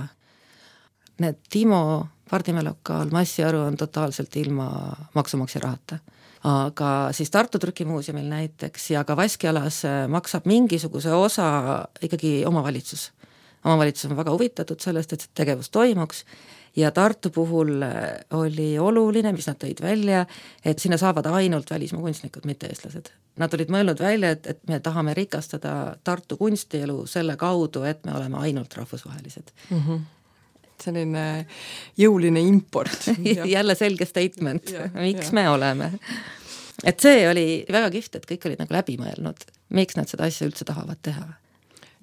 Need Timo Pardimäe lokaal, Massiaru on totaalselt ilma maksumaksja rahata. Aga siis Tartu trükimuuseumil näiteks ja ka Vaskialas maksab mingisuguse osa ikkagi omavalitsus. Omavalitsus on väga huvitatud sellest, et see tegevus toimuks ja Tartu puhul oli oluline, mis nad tõid välja, et sinna saavad ainult välismaa kunstnikud, mitte eestlased. Nad olid mõelnud välja, et, et me tahame rikastada Tartu kunstielu selle kaudu, et me oleme ainult rahvusvahelised. Mm-hmm. Selline jõuline import. Jälle selge statement, ja, miks ja. Me oleme. Et see oli väga kihvt, et kõik olid nagu läbi mõelnud, miks nad seda asja üldse tahavad teha.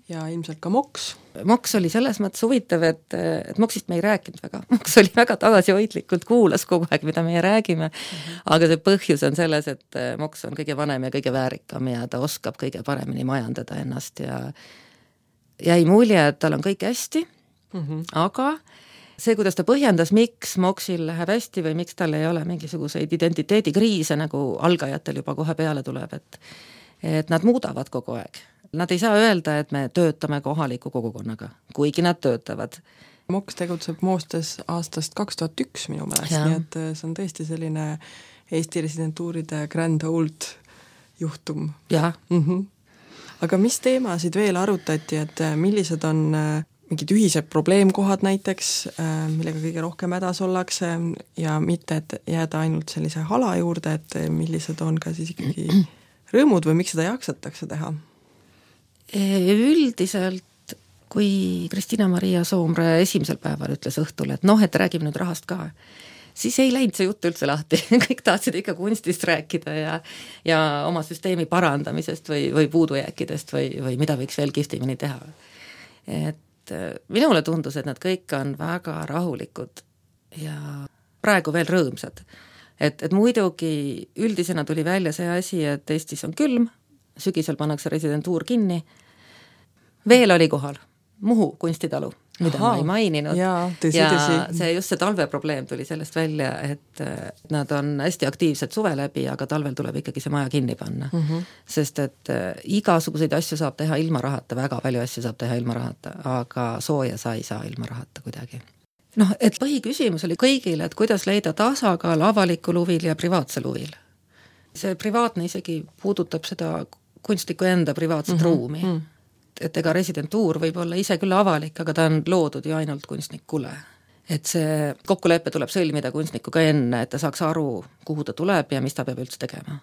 Ja ilmselt ka Moks. Moks oli selles mõttes huvitav, et, et Moksist me ei rääkinud väga. Moks oli väga tagasihoidlikult, kuulas kogu aeg, mida meie räägime, mm-hmm. aga see põhjus on selles, et Moks on kõige vanem ja kõige väärikam ja ta oskab kõige paremini majandada ennast ja jäi mulje, et tal on kõik hästi, mm-hmm. aga see, kuidas ta põhjendas, miks Moksil läheb hästi või miks tal ei ole mingisuguseid identiteedikriise, nagu algajatel juba kohe peale tuleb, et, et nad muudavad kogu aeg. Nad ei saa öelda, et me töötame kohaliku kogukonnaga, kuigi nad töötavad. Moks tegutseb Moostes aastast kaks tuhat üks minu meelest, nii et see on tõesti selline Eesti residentuuride grand old juhtum. Ja. Mm-hmm. Aga mis teemasid veel arutati, et millised on mingid ühised probleemkohad näiteks, millega kõige rohkem hädas ollakse ja mitte, et jääda ainult sellise hala juurde, et millised on ka siis ikkagi rõõmud või miks seda jaksatakse teha? Üldiselt, kui Kristina-Maria Soomre esimesel päeval ütles õhtul, et noh, et räägime nüüd rahast ka, siis ei läinud see jutt üldse lahti. Kõik tahtsid ikka kunstist rääkida ja, ja oma süsteemi parandamisest või, või puudujääkidest või, või mida võiks veel kihvtimini teha. Et minule tundus, et nad kõik on väga rahulikud ja praegu veel rõõmsad. Et, et muidugi üldisena tuli välja see asi, et Eestis on külm, sügisel pannakse residentuur kinni. Veel oli kohal Muhu kunstitalu, mida Aha, ma ei maininud. Jaa, tõsi, ja tõsi. see just see talveprobleem tuli sellest välja, et nad on hästi aktiivsed suve läbi, aga talvel tuleb ikkagi see maja kinni panna. Mm-hmm. Sest et igasuguseid asju saab teha ilma rahata, väga palju asju saab teha ilma rahata, aga sooja sa ei saa ilma rahata kuidagi. Noh, et põhiküsimus oli kõigile, et kuidas leida tasakaal avalikul huvil ja privaatsel huvil. See privaatne isegi puudutab seda kunstniku enda privaatset mm-hmm. ruumi. Mm. Et ega residentuur võib olla ise küll avalik, aga ta on loodud ju ainult kunstnikule. Et see kokkulepe tuleb sõlmida kunstnikuga enne, et ta saaks aru, kuhu ta tuleb ja mis ta peab üldse tegema.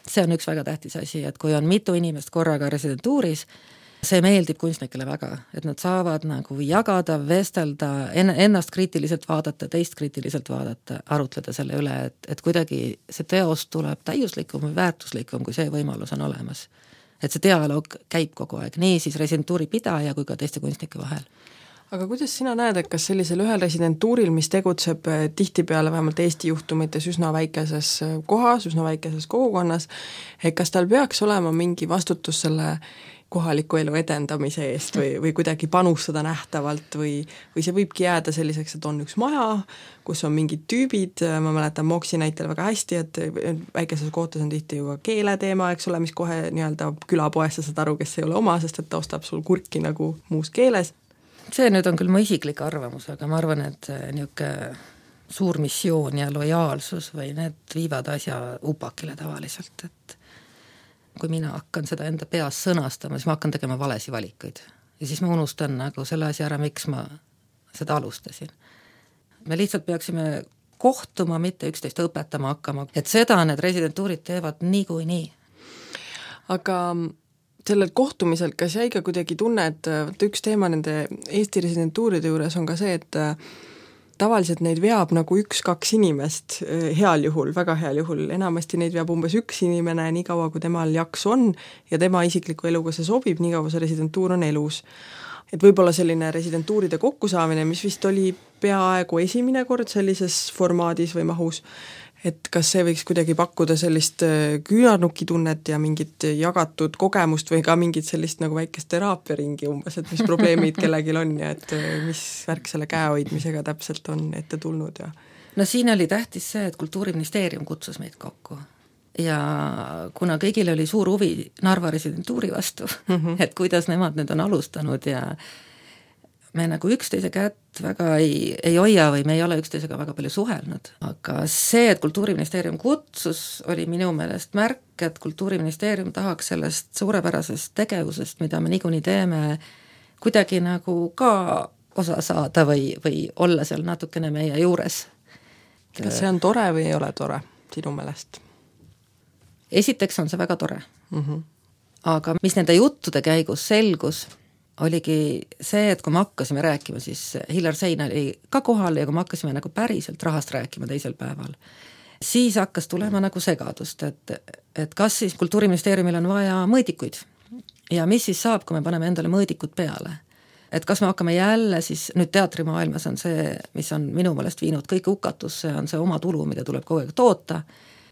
See on üks väga tähtis asi, et kui on mitu inimest korraga residentuuris, see meeldib kunstnikele väga, et nad saavad nagu jagada, vestelda, ennast kriitiliselt vaadata, teist kriitiliselt vaadata, arutleda selle üle, et, et kuidagi see teos tuleb täiuslikum või väärtuslikum, kui see võimalus on olemas. Et see dialoog käib kogu aeg, nii siis residentuuri pidaja kui ka teiste kunstnike vahel. Aga kuidas sina näed, et kas sellisel ühel residentuuril, mis tegutseb tihtipeale vähemalt Eesti juhtumites üsna väikeses kohas, üsna väikeses kogukonnas, et kas tal peaks olema mingi vastutus selle kohaliku elu edendamise eest või, või kuidagi panustada nähtavalt või, või see võibki jääda selliseks, et on üks maja, kus on mingid tüübid, ma mäletan Moksi näitel väga hästi, et väikeses kohtas on tihti ju ka keeleteema, eks ole, mis kohe nii-öelda külapoes sa saad aru, kes ei ole oma, sest et ta ostab sul kurki nagu muus keeles. See nüüd on küll mu isiklik arvamus, aga ma arvan, et niisugune suur missioon ja lojaalsus või need viivad asja upakile tavaliselt, et kui mina hakkan seda enda peas sõnastama, siis ma hakkan tegema valesi valikuid. Ja siis ma unustan nagu selle asja ära, miks ma seda alustasin. Me lihtsalt peaksime kohtuma, mitte üksteist õpetama hakkama. Et seda need residentuurid teevad nii kui nii. Aga sellel kohtumisel, kas jäi ka kuidagi tunne, et üks teema nende Eesti residentuuride juures on ka see, et tavaliselt neid veab nagu üks-kaks inimest heal juhul, väga heal juhul, enamasti neid veab umbes üks inimene nii kaua, kui temal jaks on ja tema isikliku eluga see sobib, nii kaua see residentuur on elus. Et võib-olla selline residentuuride kokkusaamine, mis vist oli peaaegu esimene kord sellises formaadis või mahus, et kas see võiks kuidagi pakkuda sellist küünarnukitunnet ja mingit jagatud kogemust või ka mingit sellist nagu väikest teraapiaringi umbes, et mis probleemid kellelgi on ja et mis värk selle käehoidmisega täpselt on ette tulnud ja no siin oli tähtis see, et Kultuuriministeerium kutsus meid kokku ja kuna kõigil oli suur huvi Narva residentuuri vastu mm, -hmm. et kuidas nemad nüüd on alustanud ja me nagu üksteise kätt väga ei, ei hoia või me ei ole üksteisega väga palju suhelnud, aga see, et Kultuuriministeerium kutsus, oli minu meelest märk, et Kultuuriministeerium tahaks sellest suurepärasest tegevusest, mida me niikuinii teeme, kuidagi nagu ka osa saada või, või olla seal natukene meie juures. Kas see on tore või ei ole tore sinu meelest? Esiteks on see väga tore. Mm-hmm. Aga mis nende juttude käigus selgus, oligi see, et kui me hakkasime rääkima, siis Hillar Sein oli ka kohal ja kui me hakkasime nagu päriselt rahast rääkima teisel päeval, siis hakkas tulema nagu segadust, et, et kas siis Kultuuriministeeriumil on vaja mõõdikuid ja mis siis saab, kui me paneme endale mõõdikud peale. Et kas me hakkame jälle siis, nüüd teatrimaailmas on see, mis on minu meelest viinud kõik hukatusse, on see oma tulu, mida tuleb kogu aeg toota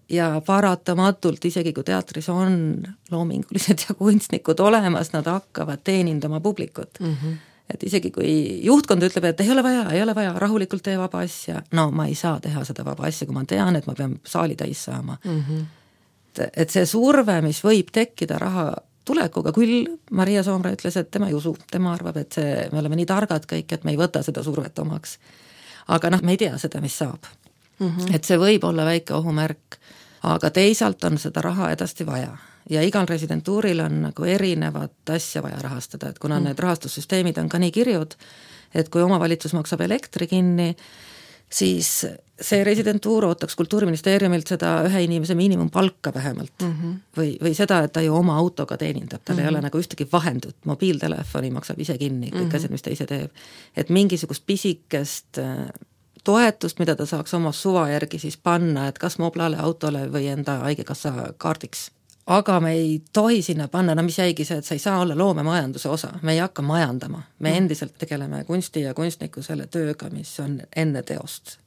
ja paratamatult, isegi kui teatris on loomingulised ja kunstnikud olemas, nad hakkavad teenindama publikut. Mm-hmm. Et isegi kui juhtkond ütleb, et ei ole vaja, ei ole vaja, rahulikult tee vaba asja, no ma ei saa teha seda vaba asja, kui ma tean, et ma pean saali täis saama. Mm-hmm. Et, et see surve, mis võib tekkida raha tulekuga, küll Maria Soomre ütles, et tema ei usu, tema arvab, et see, me oleme nii targad kõik, et me ei võta seda survet omaks. Aga noh, me ei tea seda, mis saab. Mm-hmm. Et see võib olla väike ohumärk, aga teisalt on seda raha edasti vaja ja igal residentuuril on nagu erinevat asja vaja rahastada, et kuna mm. need rahastussüsteemid on ka nii kirjud, et kui omavalitsus maksab elektri kinni, siis see residentuur ootaks Kultuuriministeeriumilt seda ühe inimese miinimumpalka vähemalt mm-hmm. või, või seda, et ta ju oma autoga teenindab, tal mm-hmm. ei ole nagu ühtegi vahendut, mobiiltelefoni maksab ise kinni, kõik mm-hmm. asjad, mis ta ise teeb, et mingisugust pisikest toetust, mida ta saaks oma suva järgi siis panna, et kas moblale, autole või enda haigekassa kaardiks. Aga me ei tohi sinna panna, no mis jäigi see, et sa ei saa olla loomemajanduse osa, me ei hakka majandama, me endiselt tegeleme kunsti ja kunstniku selle tööga, mis on enne teost.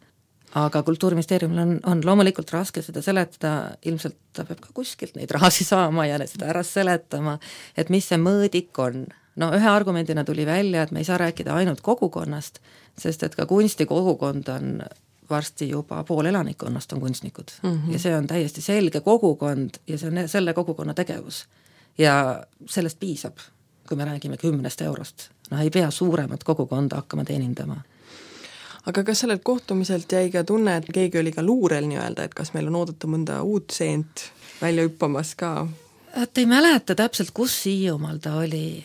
Aga Kultuuriministeeriumil on, on loomulikult raske seda seletada, ilmselt ta peab ka kuskilt neid rahasi saama ja seda ära seletama, et mis see mõõdik on. No ühe argumendina tuli välja, et me ei saa rääkida ainult kogukonnast, sest et ka kunstikogukond on varsti juba pool elanikkonnast on kunstnikud mm-hmm. ja see on täiesti selge kogukond ja see on selle kogukonna tegevus ja sellest piisab, kui me räägime kümnest eurost. No ei pea suuremat kogukonda hakkama teenindama. Aga kas sellelt kohtumiselt jäi ka tunne, et keegi oli ka luurel nii-öelda, et kas meil on oodata mõnda uut seent välja hüppamas ka? Et ei mäleta täpselt, kus Hiiumaal ta oli.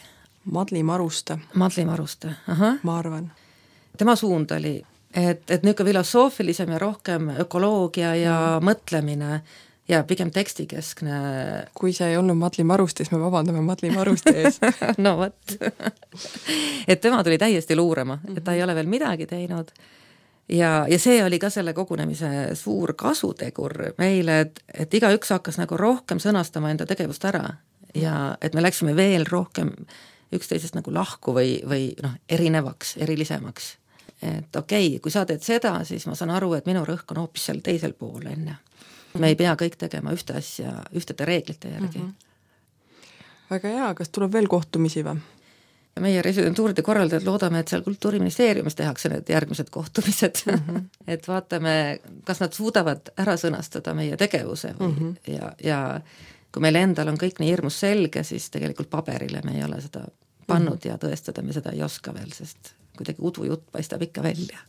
Madli Maruste. Madli Maruste, aha. Ma arvan. Tema suund oli, et, et niisugune filosoofilisem ja rohkem ökoloogia ja mm. mõtlemine ja pigem tekstikeskne. Kui see ei olnud Madli Maruste, siis me vabandame Madli Maruste ees. No võt. Et tema tuli täiesti luurema, et ta ei ole veel midagi teinud. Ja, ja see oli ka selle kogunemise suur kasutegur meile, et, et igaüks hakkas nagu rohkem sõnastama enda tegevust ära ja et me läksime veel rohkem üksteisest nagu lahku või, või noh, erinevaks, erilisemaks. Et okei, okay, kui sa teed seda, siis ma saan aru, et minu rõhk on hoopis seal teisel pool enne. Me ei pea kõik tegema ühte asja, ühtede reeglite järgi. Mm-hmm. Väga hea, kas tuleb veel kohtumisi või? Meie residentuuride korraldajad loodame, et seal Kultuuriministeeriumis tehakse need järgmised kohtumised. Mm-hmm. Et vaatame, kas nad suudavad ära sõnastada meie tegevuse või, mm-hmm. ja, ja kui meil endal on kõik nii hirmus selge, siis tegelikult paberile me ei ole seda pannud mm-hmm. ja tõestada me seda ei oska veel, sest kuidagi udujutt paistab ikka välja.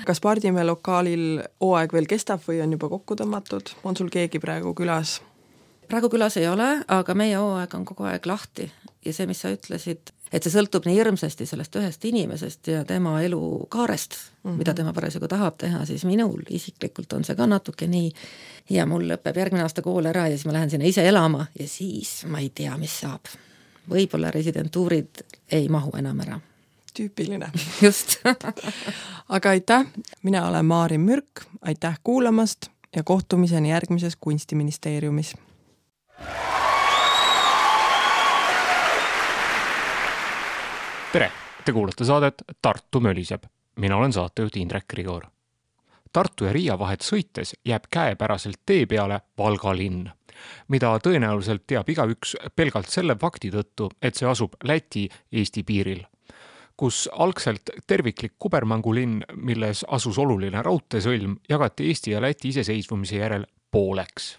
Kas Pardimäe lokaalil hooaeg veel kestab või on juba kokku tõmmatud? On sul keegi praegu külas? Praegu külas ei ole, aga meie hooaeg on kogu aeg lahti ja see, mis sa ütlesid, et see sõltub nii hirmsasti sellest ühest inimesest ja tema elukaarest, mm-hmm. mida tema parasjagu tahab teha, siis minul isiklikult on see ka natuke nii ja mul lõpeb järgmine aasta kool ära ja siis ma lähen sinna ise elama ja siis ma ei tea, mis saab. Võib-olla residentuurid ei mahu enam ära. Tüüpiline. Just. Aga aitäh, mina olen Maarin Mürk, aitäh kuulamast ja kohtumiseni järgmises Kunstiministeeriumis. Tere, te kuulate saadet Tartu möliseb. Mina olen saatejuht Indrek Grigor. Tartu ja Riia vahet sõites jääb käepäraselt tee peale Valga linn, mida tõenäoliselt teab igaüks pelgalt selle fakti tõttu, et see asub Läti-Eesti piiril, kus algselt terviklik kubermangulinn, milles asus oluline raudteesõlm, jagati Eesti ja Läti iseseisvumise järel pooleks.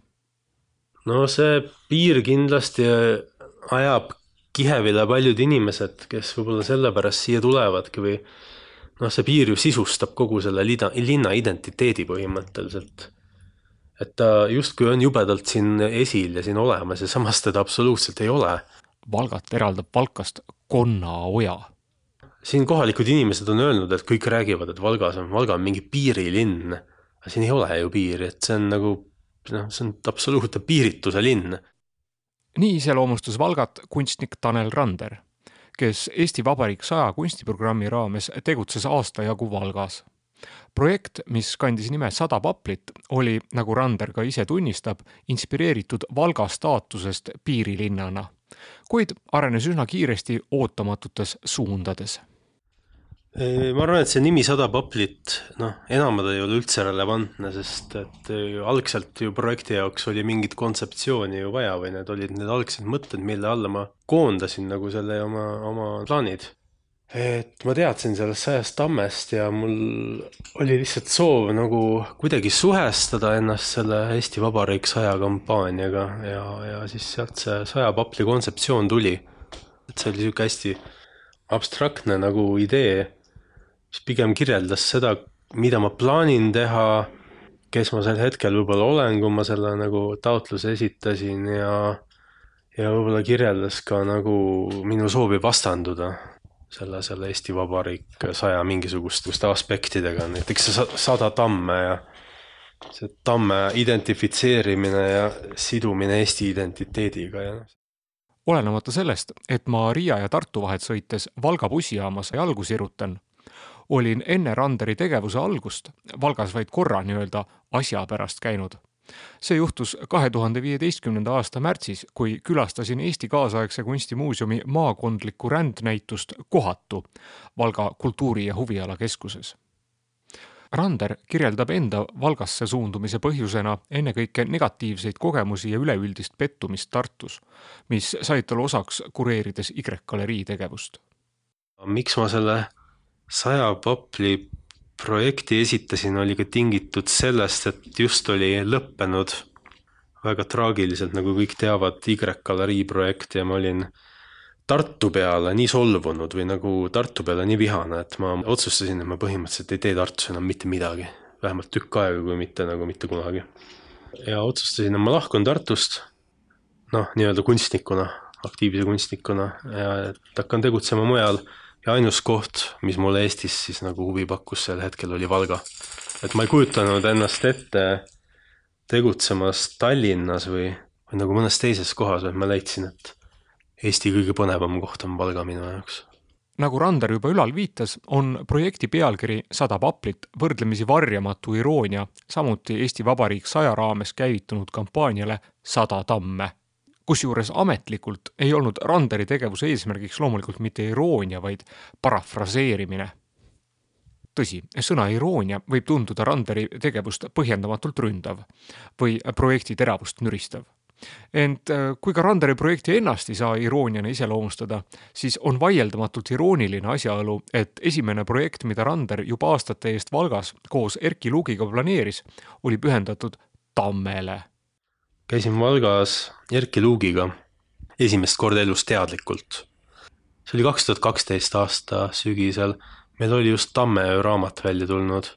No see piir kindlasti ajab kihevile paljud inimesed, kes võib-olla sellepärast siia tulevadki või noh, see piir ju sisustab kogu selle linna identiteedi põhimõtteliselt. Et ta justkui on jubedalt siin esil ja siin olemas ja samas teda absoluutselt ei ole. Valgat eraldab Valkast Konnaoja. Siin kohalikud inimesed on öelnud, et kõik räägivad, et Valgas on, Valga on mingi piirilinn. Aga siin ei ole ju piiri, et see on nagu, no, see on absoluutne piirituse linn. Nii iseloomustas Valgat kunstnik Tanel Rander, kes Eesti Vabariik saja kunstiprogrammi raames tegutses aasta jagu Valgas. Projekt, mis kandis nime Sada paplit, oli, nagu Rander ka ise tunnistab, inspireeritud Valga staatusest piirilinnana, kuid arenes üsna kiiresti ootamatutes suundades. Ma arvan, et see nimi Sada paplit, noh, enamad ei ole üldse relevantne, sest et algselt ju projekti jaoks oli mingit kontseptsiooni ju vaja või need olid need algsed mõtted, mille alla ma koondasin nagu selle oma, oma plaanid. Et ma teadsin sellest sajast tammest ja mul oli lihtsalt soov nagu kuidagi suhestada ennast selle Eesti Vabariik saja kampaaniaga ja, ja siis sealt see saja papli kontseptsioon tuli. Et see oli siuke hästi abstraktne nagu idee, mis pigem kirjeldas seda, mida ma plaanin teha, kes ma sel hetkel võib-olla olen, kui ma selle nagu taotluse esitasin ja, ja võib-olla kirjeldas ka nagu minu soovi vastanduda selle, selle Eesti Vabariik saja mingisuguste aspektidega, näiteks see sada tamme ja see tamme identifitseerimine ja sidumine Eesti identiteediga. Ja. Olenemata sellest, et ma Riia ja Tartu vahet sõites Valga bussijaamas jalgu sirutan, olin enne Randeri tegevuse algust Valgas vaid korra nii-öelda asja pärast käinud. See juhtus kahe tuhande viieteistkümnenda aasta märtsis, kui külastasin Eesti kaasaegse kunstimuuseumi maakondlikku rändnäitust Kohatu Valga kultuuri- ja huvialakeskuses. Rander kirjeldab enda Valgasse suundumise põhjusena ennekõike negatiivseid kogemusi ja üleüldist pettumist Tartus, mis said talle osaks kureerides Y-galerii tegevust. Miks ma selle saja papli projekti esitasin, oli ka tingitud sellest, et just oli lõppenud väga traagiliselt, nagu kõik teavad, Y-galerii projekt ja ma olin Tartu peale nii solvunud või nagu Tartu peale nii vihane, et ma otsustasin, et ma põhimõtteliselt ei tee Tartus enam mitte midagi. Vähemalt tükk aega, kui mitte nagu mitte kunagi. Ja otsustasin, et ma lahkun Tartust, noh, nii-öelda kunstnikuna, aktiivse kunstnikuna ja et hakkan tegutsema mujal. Ja ainus koht, mis mulle Eestis siis nagu huvi pakkus sel hetkel oli Valga. Et ma ei kujutanud ennast ette tegutsemas Tallinnas või, või nagu mõnes teises kohas, et ma leidsin, et Eesti kõige põnevam koht on Valga minu jaoks. Nagu Rander juba ülal viitas, on projekti pealkiri Sada paplit võrdlemisi varjamatu iroonia, samuti Eesti Vabariik saja raames käivitunud kampaaniale Sada tamme. Kusjuures ametlikult ei olnud Randeri tegevuse eesmärgiks loomulikult mitte iroonia, vaid parafraseerimine. Tõsi, sõna iroonia võib tunduda Randeri tegevust põhjendamatult ründav või projekti teravust nüristav. Ent kui ka Randeri projekti ennast ei saa irooniana iseloomustada, siis on vaieldamatult irooniline asjaolu, et esimene projekt, mida Rander juba aastate eest Valgas koos Erki Luugiga planeeris, oli pühendatud Tammele. Käisin Valgas Erki Luugiga esimest korda elus teadlikult. See oli kaks tuhat kaksteist aasta sügisel. Meil oli just Tammeöö raamat välja tulnud.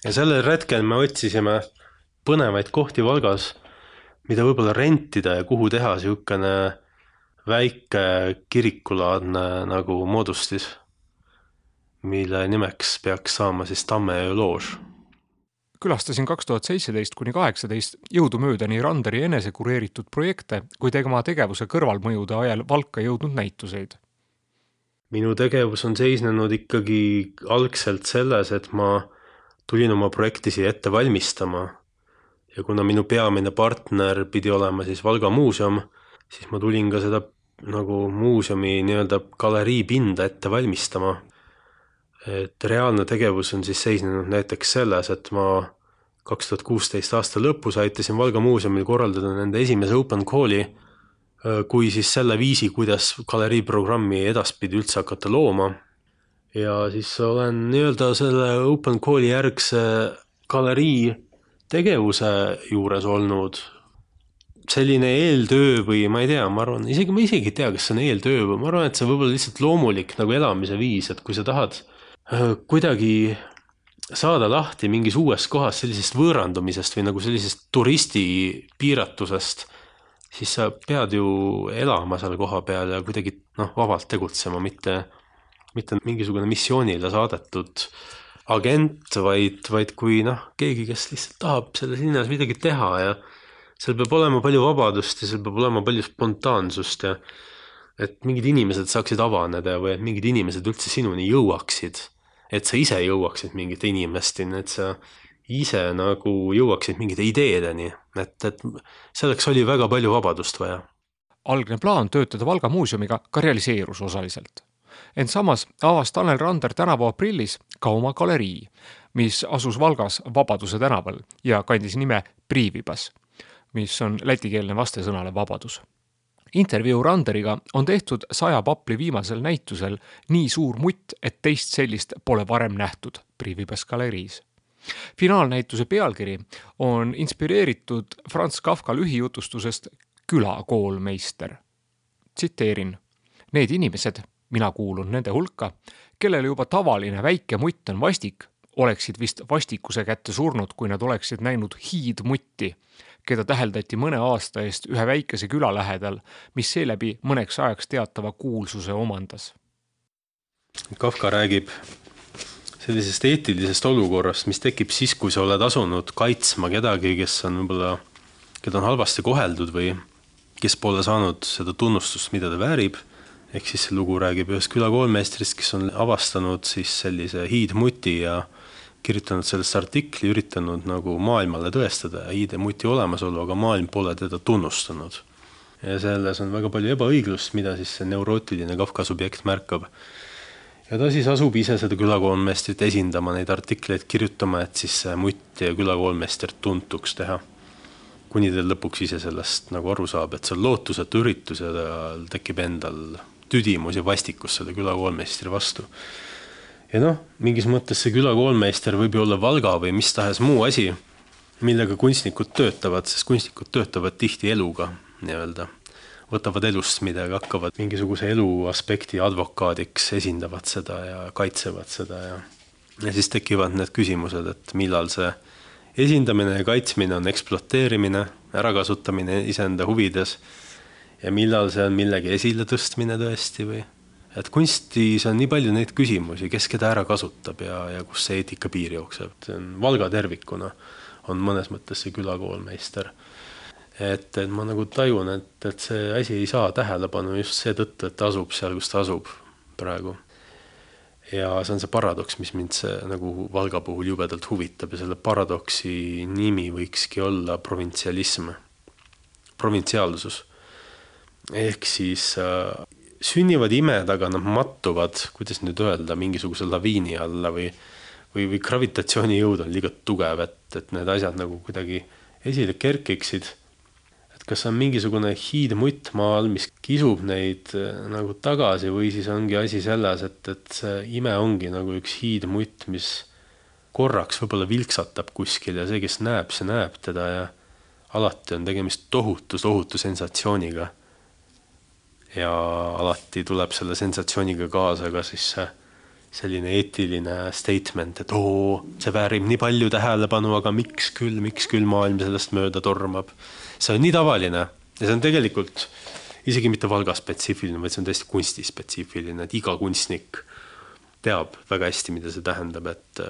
Ja sellel retkel me otsisime põnevaid kohti Valgas, mida võib-olla rentida ja kuhu teha siukene väike kirikulaadne nagu moodustis, mille nimeks peaks saama siis Tammeöö loož. Külastasin kaks tuhat seitseteist kuni kaheksateist jõudumööda nii Randeri enese kureeritud projekte, kui tema tegevuse kõrvalmõjude ajal Valka jõudnud näituseid. Minu tegevus on seisnenud ikkagi algselt selles, et ma tulin oma projekti siia ette valmistama ja kuna minu peamine partner pidi olema siis Valga muuseum, siis ma tulin ka seda nagu muuseumi nii-öelda galerii pinda ette valmistama. et reaalne tegevus on siis seisnenud näiteks selles, et ma kaks tuhat kuusteist aasta lõpus aitasin Valga muuseumil korraldada nende esimese open call'i, kui siis selle viisi, kuidas galerii programmi edaspidi üldse hakata looma. Ja siis olen nii-öelda selle open call'i järgse galerii tegevuse juures olnud. Selline eeltöö või ma ei tea, ma arvan, isegi ma isegi ei tea, kas see on eeltöö või ma arvan, et see võib olla lihtsalt loomulik nagu elamise viis, et kui sa tahad kuidagi saada lahti mingis uues kohas sellisest võõrandumisest või nagu sellisest turisti piiratusest, siis sa pead ju elama seal koha peal ja kuidagi noh, vabalt tegutsema, mitte, mitte mingisugune missioonile saadetud agent, vaid, vaid kui noh, keegi, kes lihtsalt tahab selles linnas midagi teha ja seal peab olema palju vabadust ja seal peab olema palju spontaansust ja et mingid inimesed saaksid avaneda või et mingid inimesed üldse sinuni jõuaksid, et sa ise jõuaksid mingite inimesteni, et sa ise nagu jõuaksid mingite ideedeni, et, et selleks oli väga palju vabadust vaja. Algne plaan töötada Valga muuseumiga ka realiseerus osaliselt. Ent samas avas Tanel Rander tänavu aprillis ka oma galerii, mis asus Valgas Vabaduse tänaval ja kandis nime Priivibas, mis on lätikeelne vastesõnale vabadus. Intervjuu Randeriga on tehtud saja papli viimasel näitusel nii suur mutt, et teist sellist pole varem nähtud Priivibas galeriis. Finaalnäituse pealkiri on inspireeritud Franz Kafka lühijutustusest Külakoolmeister. Tsiteerin: need inimesed, mina kuulun nende hulka, kellele juba tavaline väike mutt on vastik, oleksid vist vastikuse kätte surnud, kui nad oleksid näinud hiidmutti, keda täheldati mõne aasta eest ühe väikese küla lähedal, mis seeläbi mõneks ajaks teatava kuulsuse omandas. Kafka räägib sellisest eetilisest olukorrast, mis tekib siis, kui sa oled asunud kaitsma kedagi, kes on võib-olla, keda on halvasti koheldud või kes pole saanud seda tunnustust, mida ta väärib. Ehk siis see lugu räägib ühest külakoolmeistrist, kes on avastanud siis sellise hiidmuti ja kirjutanud sellest artikli, üritanud nagu maailmale tõestada hiidemuti olemasolu, aga maailm pole teda tunnustanud. Ja selles on väga palju ebaõiglust, mida siis see neurootiline Kafka subjekt märkab. Ja ta siis asub ise seda külakoolmeistrit esindama, neid artikleid kirjutama, et siis see mutt ja külakoolmeistrit tuntuks teha. Kuni ta lõpuks ise sellest nagu aru saab, et see on lootusetu üritus ja ta tekib endal tüdimus ja vastikus selle külakoolmeistri vastu. Ja noh, mingis mõttes see külakoolmeister võib ju olla Valga või mis tahes muu asi, millega kunstnikud töötavad, sest kunstnikud töötavad tihti eluga, nii-öelda. Võtavad elust midagi, hakkavad mingisuguse elu aspekti advokaadiks, esindavad seda ja kaitsevad seda. Ja, ja siis tekivad need küsimused, et millal see esindamine ja kaitsmine on ekspluateerimine, ärakasutamine iseenda huvides ja millal see on millegi esile tõstmine tõesti või. Et kunstis on nii palju neid küsimusi, kes keda ära kasutab ja, ja kus see eetika piir jookseb. See on Valga tervikuna on mõnes mõttes see külakoolmeister. Et, et ma nagu tajun, et, et see asi ei saa tähelepanu just see tõttu, et ta asub seal, kus ta asub praegu. Ja see on see paradoks, mis mind see nagu Valga puhul jubedalt huvitab ja selle paradoksi nimi võikski olla provintsialism, provintsiaalsus. Ehk siis äh, sünnivad imed, aga nad mattuvad, kuidas nüüd öelda, mingisuguse laviini alla või, või, või gravitatsioonijõud on liiga tugev, et, et need asjad nagu kuidagi esile kerkiksid. Et kas on mingisugune hiidmutt maal, mis kisub neid nagu tagasi või siis ongi asi selles, et, et see ime ongi nagu üks hiidmutt, mis korraks võib-olla vilksatab kuskil ja see, kes näeb, see näeb teda ja alati on tegemist tohutu, tohutu sensatsiooniga. Ja alati tuleb selle sensatsiooniga kaasa ka siis selline eetiline statement, et oo, see väärib nii palju tähelepanu, aga miks küll, miks küll maailm sellest mööda tormab. See on nii tavaline ja see on tegelikult isegi mitte Valga spetsiifiline, vaid see on täiesti kunstispetsiifiline, et iga kunstnik teab väga hästi, mida see tähendab, et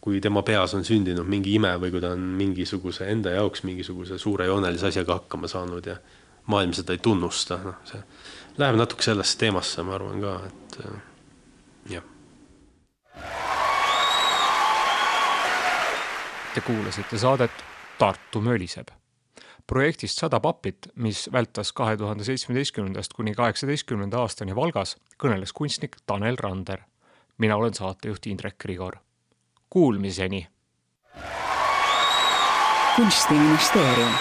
kui tema peas on sündinud mingi ime või kui ta on mingisuguse enda jaoks mingisuguse suure joonelise asjaga hakkama saanud ja maailm seda ei tunnusta. No, see läheb natuke sellesse teemasse, ma arvan ka, et jah. Te kuulasite saadet Tartu möliseb. Projektist sada paplit, mis vältas kahe tuhande seitsmeteistkümnendast kuni kaheksateistkümnenda aastani Valgas, kõneles kunstnik Tanel Rander. mina olen saatejuht Indrek Grigor. Kuulmiseni! Kunstiministeerium